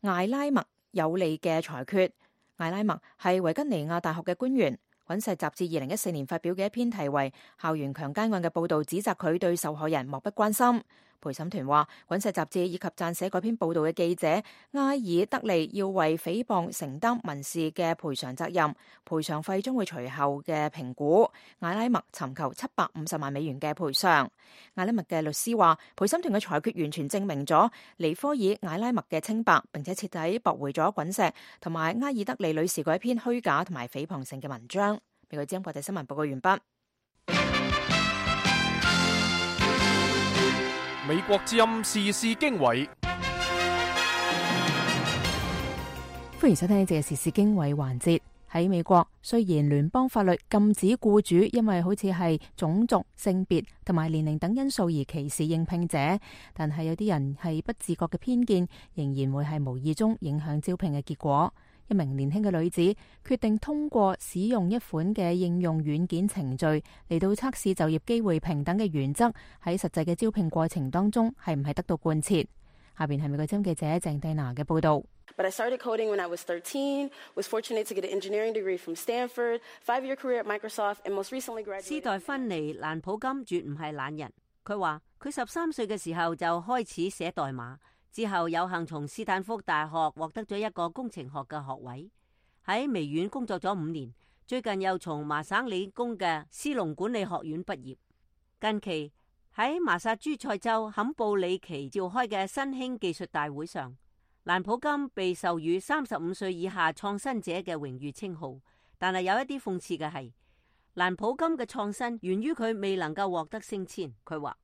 艾拉麥有利嘅裁決。艾拉麥係維吉尼亞大學嘅官員。滾石雜誌2014年發表嘅一篇題為《校園強姦案》嘅報導，指責佢對受害人漠不關心。陪審團話，滾石雜誌以及撰寫嗰篇報導嘅記者埃爾德利要為誹謗承擔民事嘅賠償責任，賠償費將會隨後嘅評估。艾拉麥尋求750萬美元嘅賠償。艾拉麥嘅律師話，陪審團嘅裁決完全證明咗尼科爾艾拉麥嘅清白，並且徹底駁回咗滾石同埋埃爾德利女士嗰一篇虛假同埋誹謗性嘅文章。美國之音國際新聞報告完畢。美國之音時事經緯，歡迎收聽呢節嘅時事經緯環節。喺美國，雖然聯邦法律禁止僱主因為好似係種族、性別同埋年齡等因素而歧視應聘者，但係有啲人係不自覺嘅偏見，仍然會係無意中影響招聘嘅結果。一名年輕嘅女子決定通過使用一款嘅應用軟件程序嚟到測試就業機會平等嘅原則喺實際嘅招聘過程當中係唔係得到貫徹。下邊係美國之音記者鄭蒂娜嘅報道。But I started coding when I was 13, was fortunate to get an engineering degree from Stanford, 5-year career at Microsoft, and most recently graduated. 斯代芬妮·蘭普金絕唔係懶人，佢話佢13歲嘅時候就開始寫代碼。之後有幸從斯坦福大學獲得咗一個工程學嘅學位，喺微軟工作咗5年，最近又從麻省理工嘅斯隆管理學院畢業。近期喺麻薩諸塞州坎布里奇召開嘅新興技術大會上，蘭普金被授予35歲以下創新者嘅榮譽稱號，但係有一啲諷刺嘅係，蘭普金嘅創新源於佢未能夠獲得升遷。佢話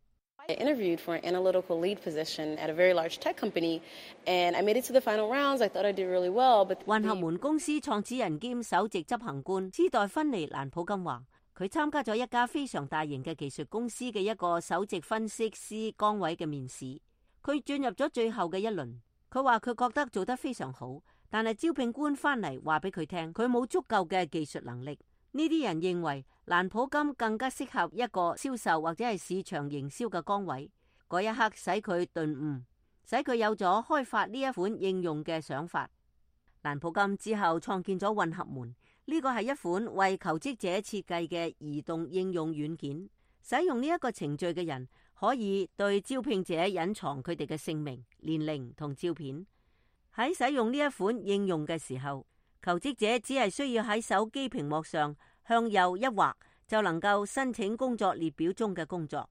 I interviewed for an analytical lead position at a very large tech company, and I made it to the final rounds. I thought I did really well, but 混合門公司創始人兼首席執行官斯代芬妮·蘭普金話，佢參加咗一家非常大型嘅技術公司嘅一個首席分析師崗位嘅面試，佢進入咗最後嘅一輪。佢話佢覺得做得非常好，但係招聘官翻嚟話俾佢聽，佢冇足夠嘅技術能力。呢啲人認為蘭普金更加適合一個銷售或者係市場營銷嘅崗位。嗰一刻使佢頓悟，使佢有咗開發呢一款應用嘅想法。蘭普金之後創建咗混合門，呢個係一款為求職者設計嘅移動應用軟件。使用呢一個程序嘅人可以對招聘者隱藏佢哋嘅姓名、年齡同照片。喺使用呢一款應用嘅時候，求職者只係需要喺手機屏幕上向右一劃，就能夠申請工作列表中嘅工作。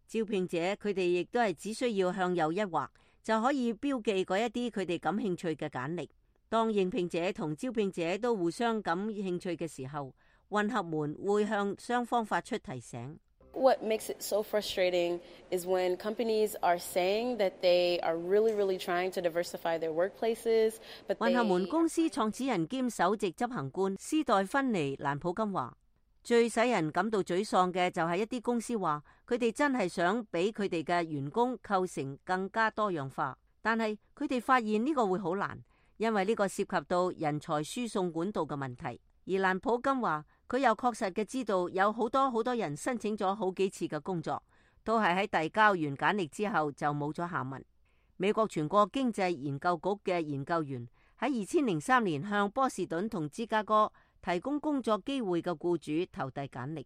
招聘者佢哋亦都係只需要向右一劃，就可以標記嗰一啲佢哋感興趣嘅簡歷。當應聘者同招聘者都互相感興趣嘅時候，混合門會向雙方發出提醒。What makes it so frustrating is when companies are saying that they are really trying to diversify their workplaces, but 混合門公司創始人兼首席執行官斯代芬妮·蘭普金話，最使人感到沮喪嘅就係一啲公司話佢哋真係想俾佢哋嘅員工構成更加多樣化，但係佢哋發現呢個會好難，因為呢個涉及到人才輸送管道嘅問題。而蘭普金話，佢又確實嘅知道有好多人申請咗好幾次嘅工作，都係喺遞交完簡歷之後就冇咗下文。美國全國經濟研究局嘅研究員喺2003年向波士頓同芝加哥提供工作機會嘅僱主投遞簡歷，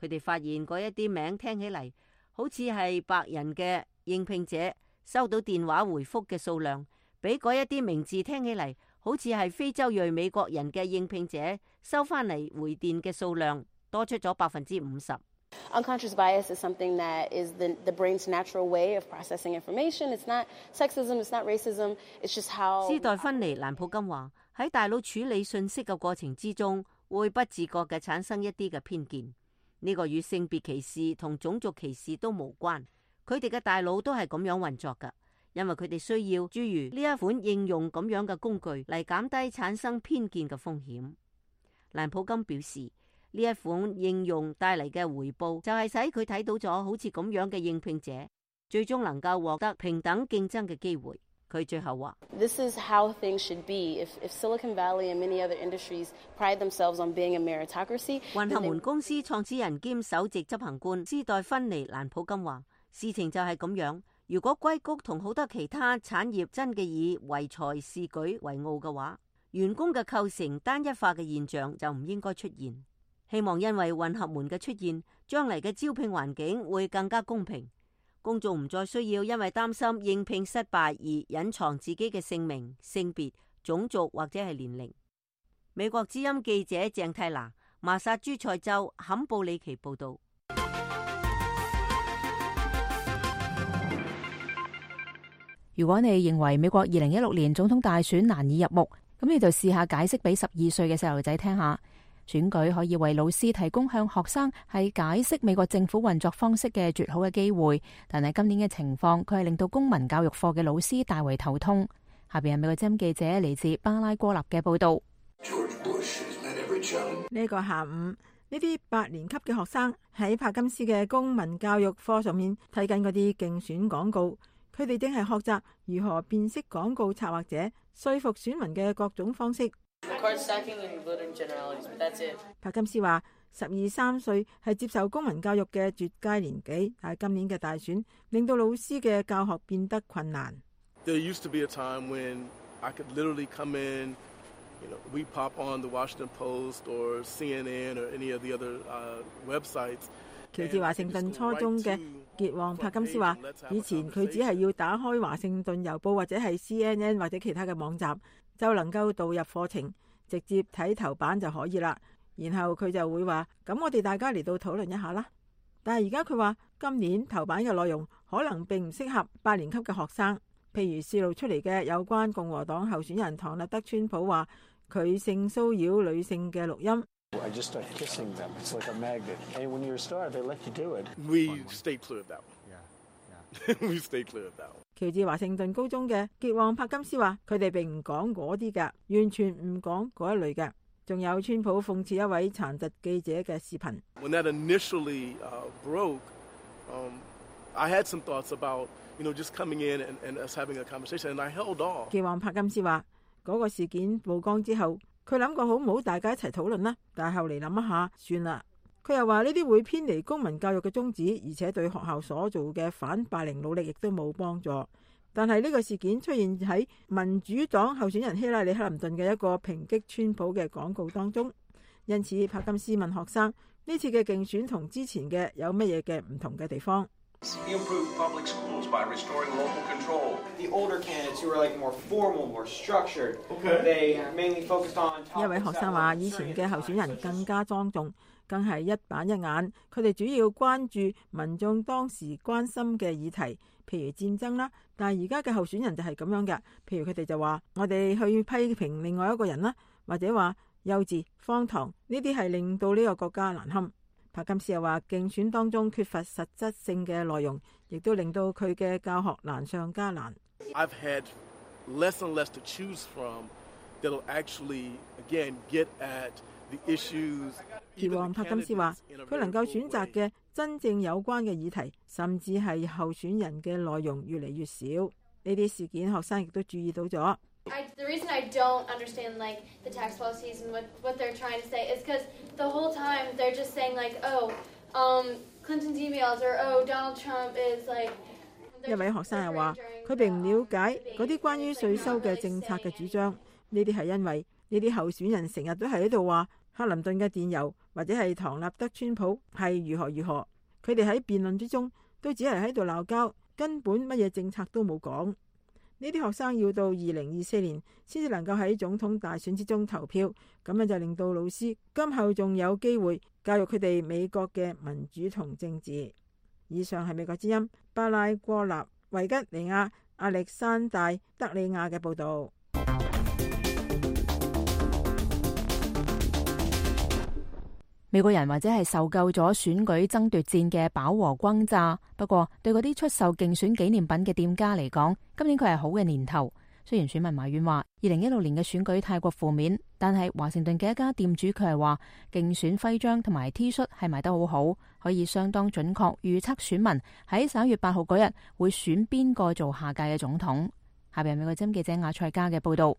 佢哋發現嗰一啲名聽起嚟好似係白人嘅應聘者收到電話回覆嘅數量，比嗰一啲名字聽起嚟好似係非洲裔美國人嘅應聘者收翻嚟回電嘅數量多出咗50%。Unconscious bias is something that is the brain's natural way of processing information. It's not sexism, it's not racism, it's just how 斯代芬妮·蘭普金話，喺大腦處理信息嘅過程之中，會不自覺嘅產生一啲嘅偏見。呢個與性別歧視同種族歧視都無關，佢哋嘅大腦都係咁樣運作㗎。因為佢哋需要諸如呢一款應用咁樣嘅工具嚟減低產生偏見嘅風險。蘭普金表示，呢呢一款應用帶嚟嘅回報就係使佢睇到咗好似咁樣嘅應聘者最終能夠獲得平等競爭嘅機會。佢最後話 This is how things should be. If Silicon Valley and many other industries pride themselves on being a meritocracy. 混合門公司創始人兼首席執行官斯代芬尼蘭普金話：事情就係咁樣。如果硅谷同好多其他產業真嘅以唯才是舉為傲嘅話，員工嘅構成單一化嘅現象就唔應該出現。希望因為混合門嘅出現，將嚟嘅招聘環境會更加公平。公眾唔再需要因為擔心應聘失敗而隱藏自己嘅姓名、性別、種族或者係年齡。美國之音記者鄭泰娜，麻薩諸塞州坎布里奇報道。如果你認為美國2016年總統大選難以入目，咁你就試下解釋俾12歲嘅細路仔聽下。選舉可以為老師提供向學生係解釋美國政府運作方式嘅絕好嘅機會，但係今年嘅情況，佢係令到公民教育課嘅老師大為頭痛。下邊係美國之音記者嚟自巴拉哥納嘅報道。呢個下午，呢啲8年級嘅學生喺帕金斯嘅公民教育課上面睇緊嗰啲競選廣告，佢哋正係學習如何辨識廣告策劃者說服選民嘅各種方式。帕金斯話：12、13歲係接受公民教育嘅絕佳年紀，但係今年嘅大選令到老師嘅教學變得困難。There used to be a time when I could literally come in, we pop on the Washington Post or CNN or any of the other websites. 喬治華盛頓初中嘅傑旺帕金斯話：以前佢只係要打開華盛頓郵報或者係 CNN 或者其他嘅網站，就能夠導入課程，直接睇頭版就可以啦。然後佢就會話：咁我哋大家嚟到討論一下啦。但係而家佢話，今年頭版嘅內容可能並唔適合8年級嘅學生。譬如泄露出嚟嘅有關共和黨候選人唐納德川普話佢性騷擾女性嘅錄音。I just start kissing them. It's like a magnet. And when you're a star, they let you do it. We stay clear of that one. We stay clear of that one. 喬治華盛頓高中嘅傑旺帕金斯話：佢哋並唔講嗰啲㗎，完全唔講嗰一類嘅。仲有川普諷刺一位殘疾記者嘅視頻。When that initially broke, I had some thoughts about, just coming in and us having a conversation, and I held off. 傑旺帕金斯話：嗰個事件曝光之後，佢諗過好唔好大家一齊討論啦，但係後嚟諗一下，算啦。佢又話呢啲會偏離公民教育嘅宗旨，而且對學校所做嘅反霸凌努力亦都冇幫助。但係呢個事件出現喺民主黨候選人希拉里克林頓嘅一個抨擊川普嘅廣告當中，因此帕金斯問學生呢次嘅競選同之前嘅有乜嘢嘅唔同嘅地方。一位學生話：以前嘅候選人更加莊重，更係一板一眼。佢哋主要關注民眾當時關心嘅議題，譬如戰爭啦。但係而家嘅候選人就係咁樣嘅，譬如佢哋就話：我哋去批評另外一個人啦，或者話幼稚、荒唐，呢啲係令到呢個國家難堪。帕金斯又話：競選當中缺乏實質性嘅內容，亦都令到佢嘅教學難上加難。I've had less and less to choose from that'll actually again get at the issues. 傑旺帕金斯話：佢能夠選擇嘅真正有關嘅議題，甚至係候選人嘅內容越嚟越少。呢啲事件，學生亦都注意到咗。The reason I don't understand the tax policies and what they're trying to say is because the whole time they're just saying Clinton's emails or Donald Trump is like。一位學生又話：佢並唔了解嗰啲關於稅收嘅政策嘅主張。呢啲係因為呢啲候選人成日都係喺度話克林頓嘅電郵或者係唐納德川普係如何如何。佢哋喺辯論之中都只係喺度鬧交，根本乜嘢政策都冇講。呢啲學生要到2024年先至能夠喺總統大選之中投票，咁樣就令到老師今後仲有機會教育佢哋美國嘅民主同政治。以上係美國之音巴拉戈納維吉尼亞亞歷山大德里亞嘅報導。美國人或者係受夠咗選舉爭奪戰嘅飽和轟炸，不過對嗰啲出售競選紀念品嘅店家嚟講，今年佢係好嘅年頭。雖然選民埋怨話2016年嘅選舉太過負面，但係華盛頓嘅一家店主佢係話競選徽章同埋 T 恤係賣得好好，可以相當準確預測選民喺11月8號嗰日會選邊個做下屆嘅總統。下邊係美國之音記者亞賽加嘅報道。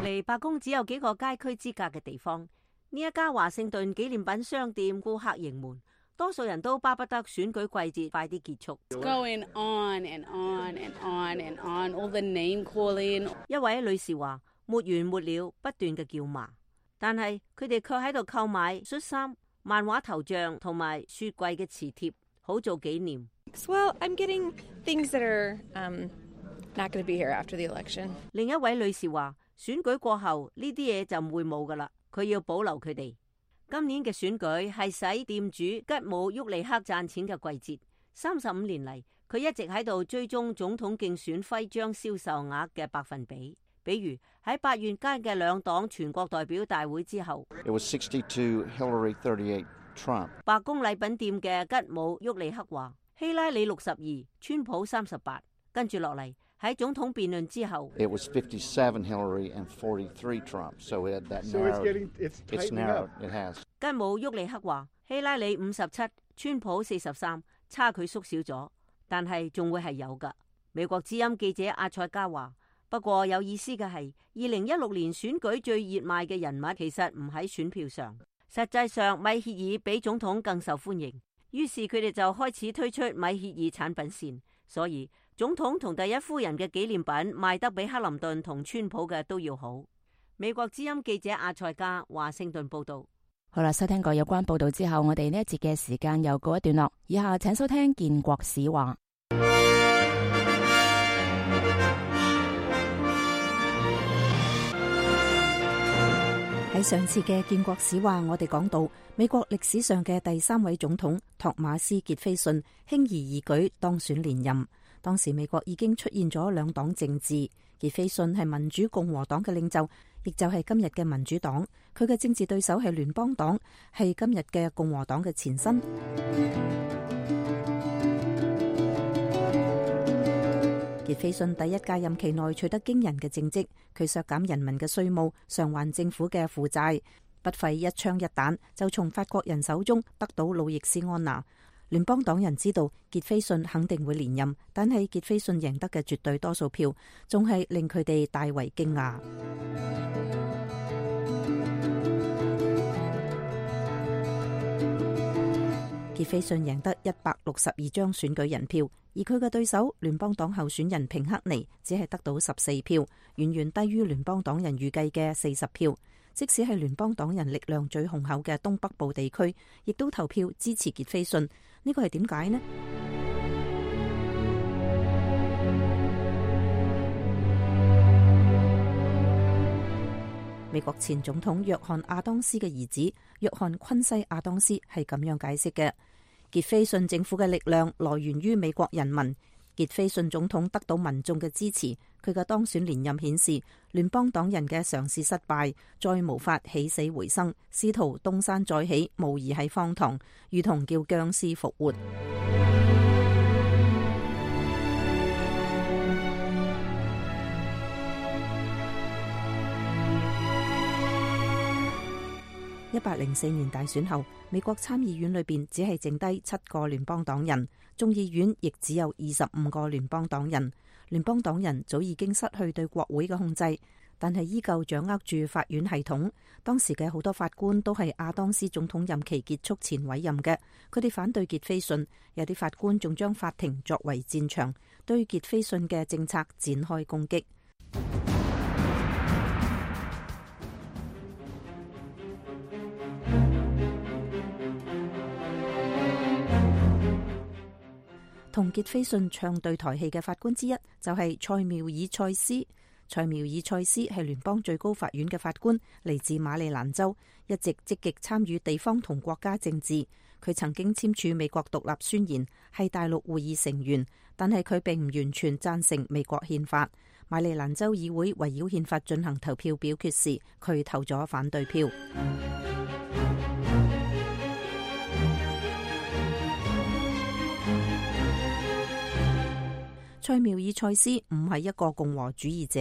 離白宮只有幾個街區之隔嘅地方，呢一家華盛頓紀念品商店顧客盈門，多數人都巴不得選舉季節快啲結束。Going on and on and on and on, all the name calling。一位女士話：沒完沒了，不斷嘅叫罵，但係佢哋卻喺度購買恤衫、漫畫頭像同埋雪櫃嘅磁貼，好做紀念。Well, I'm getting things that are not going to be here after the election。另一位女士話：選舉過後呢啲嘢就唔會冇噶啦，佢要保留佢哋。今年嘅選舉係使店主吉姆沃利克賺錢嘅季節。35年嚟，佢一直喺度追蹤總統競選徽章銷售額嘅百分比。比如喺8月間嘅兩黨全國代表大會之後， It was 62 Hillary, 38 Trump。白宮禮品店嘅吉姆沃利克話：希拉里62，川普38。跟住落嚟喺總統辯論之後 ，It was 57 Hillary and 43 Trump. So that narrowed. It's narrowed. It has。吉姆沃利克話：希拉里57，川普43，差距縮小咗，但係仲會係有㗎。美國之音記者阿塞加話：不過有意思嘅係，2016年選舉最熱賣嘅人物其實唔喺選票上，實際上米歇爾比總統更受歡迎，於是佢哋就開始推出米歇爾產品線，所以總統同第一夫人嘅紀念品賣得比克林頓同川普嘅都要好。美國之音記者阿塞加華盛頓報道。好啦，收聽過有關報道之後，我哋呢一節嘅時間又告一段落。以下請收聽建國史話。喺上次嘅建國史話，我哋講到美國歷史上嘅第3位總統托馬斯傑斐遜輕而易舉當選連任。當時美國已經出現咗兩黨政治，傑斐遜係民主共和黨嘅領袖，亦就係今日嘅民主黨。佢嘅政治對手係聯邦黨，係今日嘅共和黨嘅前身。傑斐遜第一屆任期內取得驚人嘅政績，佢削減人民嘅稅務，償還政府嘅負債，不費一槍一彈就從法國人手中得到路易斯安那。聯邦黨人知道傑斐遜肯定會連任，但係傑斐遜贏得嘅絕對多數票，仲係令佢哋大為驚訝。傑斐遜贏得162張選舉人票，而佢嘅對手聯邦黨候選人平克尼只係得到14票，遠遠低於聯邦黨人預計嘅40票。即使係聯邦黨人力量最雄厚嘅東北部地區，亦都投票支持傑斐遜。呢個係點解呢？美國前總統約翰亞當斯嘅兒子約翰昆西亞當斯係咁樣解釋嘅：傑斐遜政府嘅力量來源於美國人民。傑斐遜總統得到民眾嘅支持，佢嘅當選連任顯示聯邦黨人嘅嘗試失敗，再無法起死回生，試圖東山再起，無疑係荒唐，如同叫僵屍復活。1804年大選後，美國參議院裏邊只係剩低7個聯邦黨人，眾議院亦只有25個聯邦黨人。聯邦黨人早已經失去對國會嘅控制，但係依舊掌握住法院系統。當時嘅好多法官都係亞當斯總統任期結束前委任嘅，佢哋反對傑斐遜，有啲法官仲將法庭作為戰場，對傑斐遜嘅政策展開攻擊。同傑斐遜唱對台戲嘅法官之一就係塞繆爾塞斯。塞繆爾塞斯係聯邦最高法院嘅法官，嚟自馬里蘭州，一直積極參與地方同國家政治。佢曾經簽署美國獨立宣言，係大陸會議成員，但係佢並唔完全贊成美國憲法。馬里蘭州議會圍繞憲法進行投票表決時，佢投咗反對票。塞繆爾塞斯唔係一個共和主義者，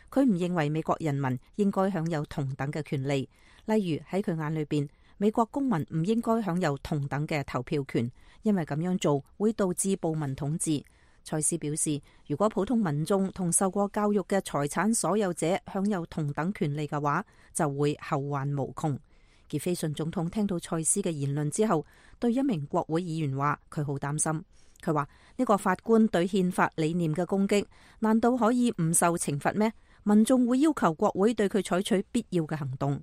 佢唔認為美國人民應該享有同等嘅權利。例如喺佢眼裏邊，美國公民唔應該享有同等嘅投票權，因為咁樣做會導致暴民統治。塞斯表示，如果普通民眾同受過教育嘅財產所有者享有同等權利嘅話，就會後患無窮。傑斐遜總統聽到塞斯嘅言論之後，對一名國會議員話佢好擔心。佢話呢個法官對憲法理念嘅攻擊，難道可以唔受懲罰咩？民眾會要求國會對佢採取必要嘅行動。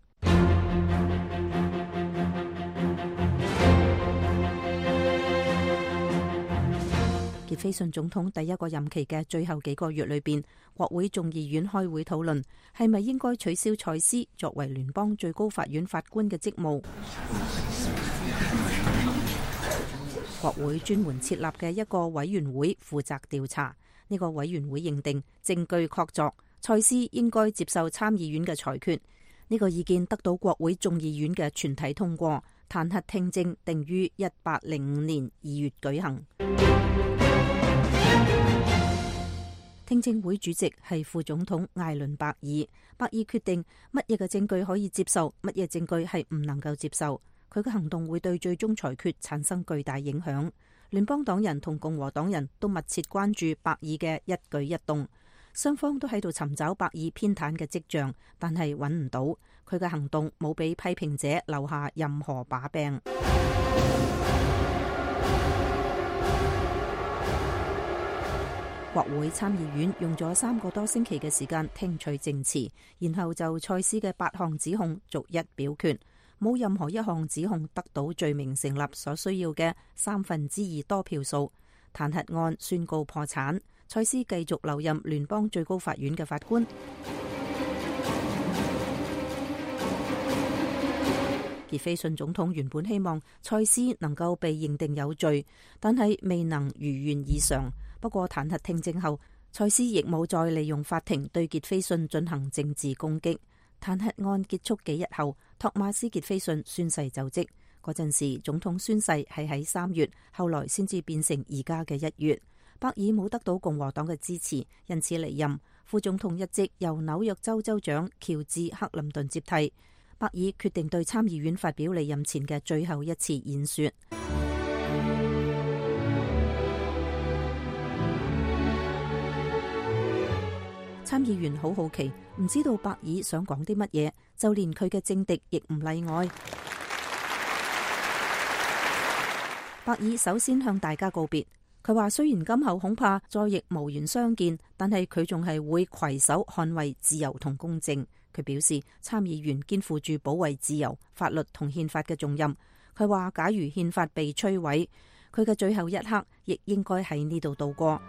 傑斐遜總統第一個任期嘅最後幾個月裏邊，國會眾議院開會討論係咪應該取消塞斯作為聯邦最高法院法官嘅職務。國會專門設立嘅一個委員會負責調查，呢個委員會認定證據確鑿，塞斯應該接受參議院嘅裁決。呢個意見得到國會眾議院嘅全體通過，彈劾聽證定於1805年2月舉行。聽證會主席係副總統艾倫伯爾，伯爾決定乜嘢嘅證據可以接受，乜嘢證據係唔能夠接受。佢嘅行動會對最終裁決產生巨大影響。聯邦黨人同共和黨人都密切關注伯爾嘅一舉一動，雙方都喺度尋找伯爾偏袒嘅跡象，但係揾唔到。佢嘅行動冇俾批評者留下任何把柄。國會參議院用咗3個多星期嘅時間聽取證詞，然後就塞斯嘅8項指控逐一表決，冇任何一項指控得到罪名成立所需要嘅2/3多票數。彈劾案宣告破產，塞斯繼續留任聯邦最高法院嘅法官。傑斐遜總統原本希望塞斯能夠被認定有罪，但係未能如願以償。不過彈劾聽證後，塞斯亦冇再利用法庭對傑斐遜進行政治攻擊。彈劾案結束幾日後，托馬斯傑斐遜宣誓就職。嗰陣時總統宣誓係喺3月，後來先至變成而家嘅1月。伯爾冇得到共和黨嘅支持，因此離任。副總統一職由紐約州州長喬治克林頓接替。伯爾決定對參議院發表離任前嘅最後一次演說。參議員好好奇，唔知道伯爾想講啲乜嘢，就連佢嘅政敵亦唔例外。伯爾首先向大家告別，佢話雖然今後恐怕再亦無緣相見，但係佢仲係會攜手捍衛自由同公正。佢表示參議員肩負住保衛自由、法律同憲法嘅重任。佢話假如憲法被摧毀，佢嘅最後一刻亦應該喺呢度度過。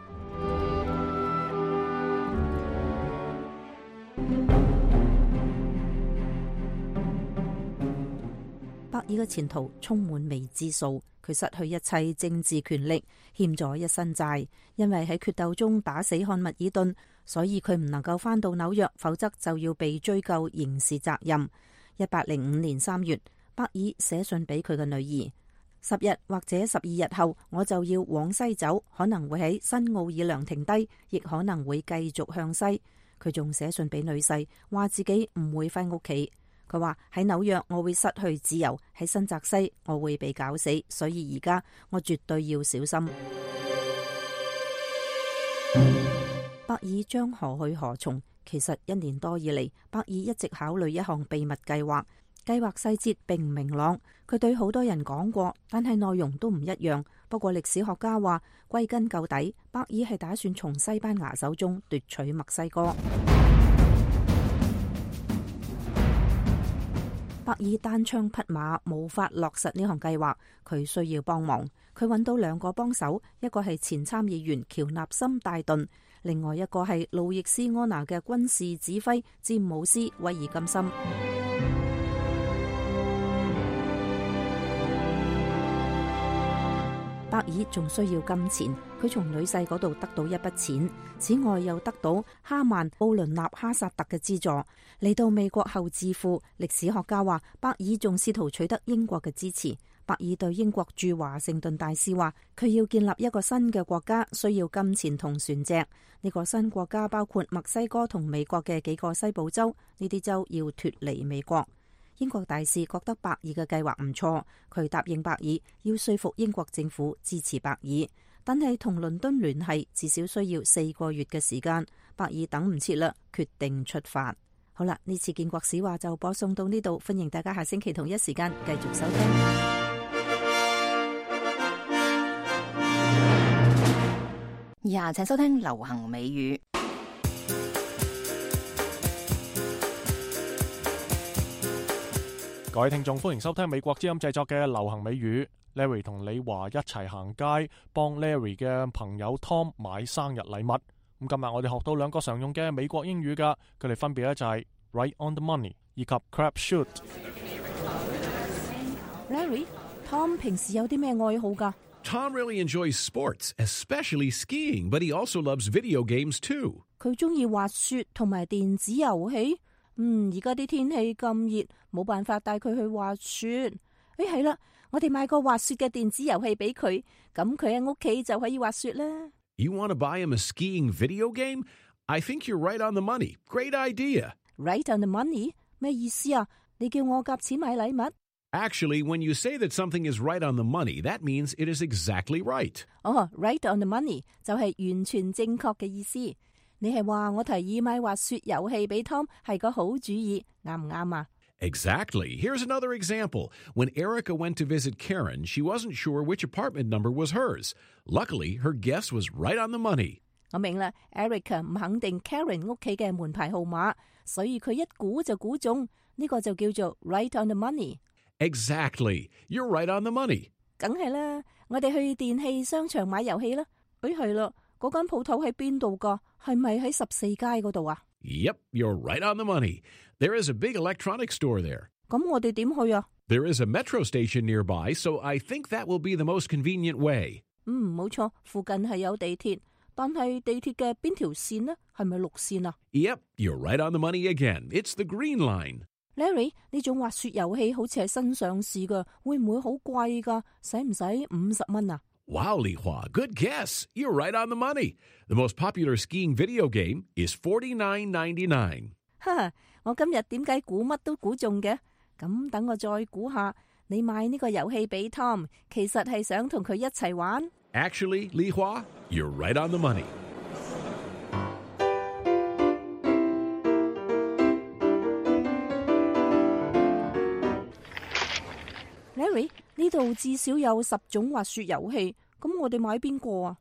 伯爾嘅前途充滿未知數，佢失去一切政治權力，欠咗一身債。因為喺決鬥中打死漢密爾頓，所以佢唔能夠返到紐約，否則就要被追究刑事責任。1805年3月，伯爾寫信俾佢嘅女兒：10日或者12日後，我就要往西走，可能會喺新奧爾良停低，亦可能會繼續向西。佢仲寫信俾女婿，話自己唔會返屋企。佢話喺紐約我會失去自由，喺新澤西我會被搞死，所以而家我絕對要小心。伯爾將何去何從？其實1年多以嚟，伯爾一直考慮一項秘密計劃，計劃細節並唔明朗。佢對好多人講過，但係內容都唔一樣。不過歷史學家話，歸根究底，伯爾係打算從西班牙手中奪取墨西哥。伯爾單槍匹馬，無法落實呢項計劃，佢需要幫忙。佢揾到2個幫手，一個係前參議員喬納森戴頓，另外一個係路易斯安那嘅軍事指揮詹姆斯威爾金森。伯爾仲需要金錢，佢從女婿嗰度得到一筆錢，此外又得到哈曼奧倫納哈薩特嘅資助。嚟到美國後致富，歷史學家話伯爾仲試圖取得英國嘅支持。伯伯爾對英國駐華盛頓大使話，佢要建立一個新嘅國家，需要金錢同船隻。呢個新國家包括墨西哥同美國嘅幾個西部州，呢啲州要脫離美國。英國大使覺得伯爾嘅計劃唔錯，佢答應伯爾要說服英國政府支持伯爾，但係同倫敦聯繫至少需要4個月嘅時間。伯爾等唔切啦，決定出發。好啦，呢次建國史話就播送到呢度，歡迎大家下星期同一時間繼續收聽。以下請收聽流行美語。各位聽眾，歡迎收聽美國之音製作嘅流行美語。Larry 同李華一齊行街，幫 Larry 嘅朋友 Tom 買生日禮物。咁今日我哋學到2個常用嘅美國英語噶，佢哋分別咧就係 right on the money 以及 crap shoot。Larry，Tom 平時有啲咩愛好噶？ Tom really enjoys sports, especially skiing, but he also loves video games too. 佢中意滑雪同埋電子遊戲。而家啲天氣咁熱，冇辦法帶佢去滑雪。係啦，我哋買個滑雪嘅電子遊戲俾佢，咁佢喺屋企就可以滑雪啦。You want to buy him a skiing video game? I think you're right on the money. Great idea. Right on the money? 咩意思啊？你叫我夾錢買禮物？ Actually, when you say that something is right on the money, that means it is exactly right. Right on the money 就係完全正確嘅意思。你係話我提議買滑雪遊戲俾 Tom 係個好主意，啱唔啱啊？ Exactly. Here's another example. When Erica went to visit Karen, she wasn't sure which apartment number was hers. Luckily, her guess was right on the money. 我明啦 ，Erica 唔肯定 Karen 屋企嘅門牌號碼，所以佢一估就估中，呢個就叫做 right on the money. Exactly. You're right on the money. 梗係啦，我哋去電器商場買遊戲啦。係啦，嗰間鋪頭喺邊度㗎？係咪喺14街嗰度啊？ Yep, you're right on the money. There is a big electronics store there. 咁我哋點去啊？ There is a metro station nearby, so I think that will be the most convenient way. 冇錯，附近係有地鐵，但係地鐵嘅邊條線呢？係咪綠線啊？ Yep, you're right on the money again. It's the green line. Larry， 呢種滑雪遊戲好似係新上市㗎，會唔會好貴㗎？使唔使50蚊啊？ Wow, Li Hua, good guess. You're right on the money. The most popular skiing video game is $49.99. 我今日點解估乜都估中嘅？咁等我再估下，你買呢個遊戲俾 Tom， 其實係想同佢一齊玩。Actually, Li Hua, you're right on the money. Larry， 呢度至少有10種滑雪遊戲，咁我哋買邊個啊？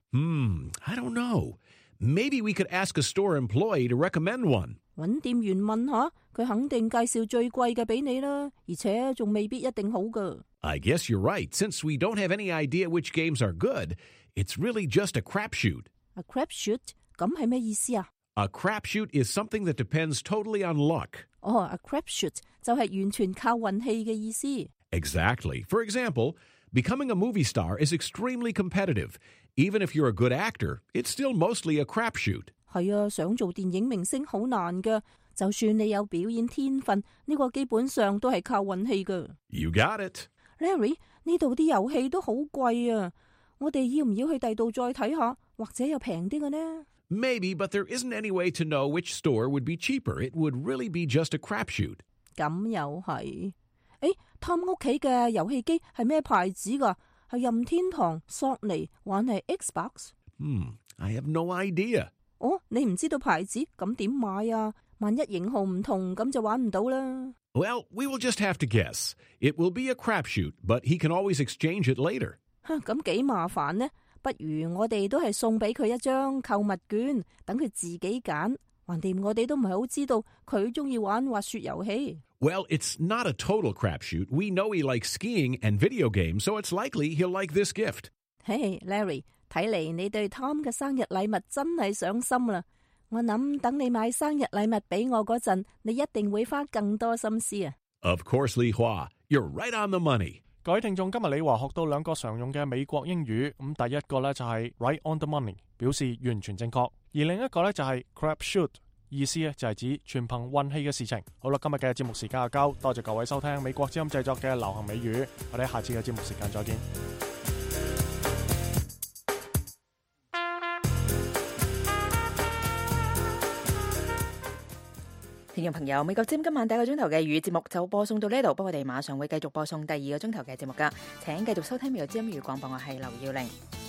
I don't know. Maybe we could ask a store employee to recommend one. 搵店員問下，佢肯定介紹最貴嘅俾你啦，而且仲未必一定好噶。I guess you're right. Since we don't have any idea which games are good, it's really just a crapshoot. A crapshoot？ 咁係咩意思啊？ A crapshoot is something that depends totally on luck. A crapshoot 就係完全靠運氣嘅意思。Exactly. For example, becoming a movie star is extremely competitive. Even if you're a good actor, it's still mostly a crapshoot. 係啊，想做電影明星好難噶，就算你有表演天分，呢個基本上都係靠運氣噶。You got it. Larry， 呢度啲遊戲都好貴啊，我哋要唔要去第度再睇下，或者有平啲嘅呢？ Maybe, but there isn't any way to know which store would be cheaper. It would really be just a crapshoot. 咁又係。Tom 屋企嘅遊戲機係咩牌子噶？係任天堂、索尼，還係 Xbox？ I have no idea. 你唔知道牌子，咁點買啊？萬一型號唔同，咁就玩唔到啦。Well, we will just have to guess. It will be a crapshoot, but he can always exchange it later. 咁幾麻煩呢？不如我哋都係送俾佢一張購物券，等佢自己揀。橫掂我哋都唔係好知道佢中意玩滑雪遊戲。Well, it's not a total crapshoot. We know he likes skiing and video games, so it's likely he'll like this gift. Hey, Larry, 睇嚟你對 Tom 嘅生日禮物真係上心啦。我諗等你買生日禮物俾我嗰陣，你一定會花更多心思啊。Of course, Li Hua, you're right on the money. 各位聽眾，今日李華學到2個常用嘅美國英語。咁第一個呢就係 right on the money， 表示完全正確；而另一個呢就係 crapshoot，意思咧就係指全憑運氣嘅事情。好啦，今日嘅節目時間就夠，多謝各位收聽美國之音製作嘅流行美語，我哋下次嘅節目時間再見。聽眾朋友，美國之音今晚第一個鐘頭嘅粵語節目就播送到呢度，不過我哋馬上會繼續播送第二個鐘頭嘅節目噶，請繼續收聽美國之音粵語廣播，我係劉耀玲。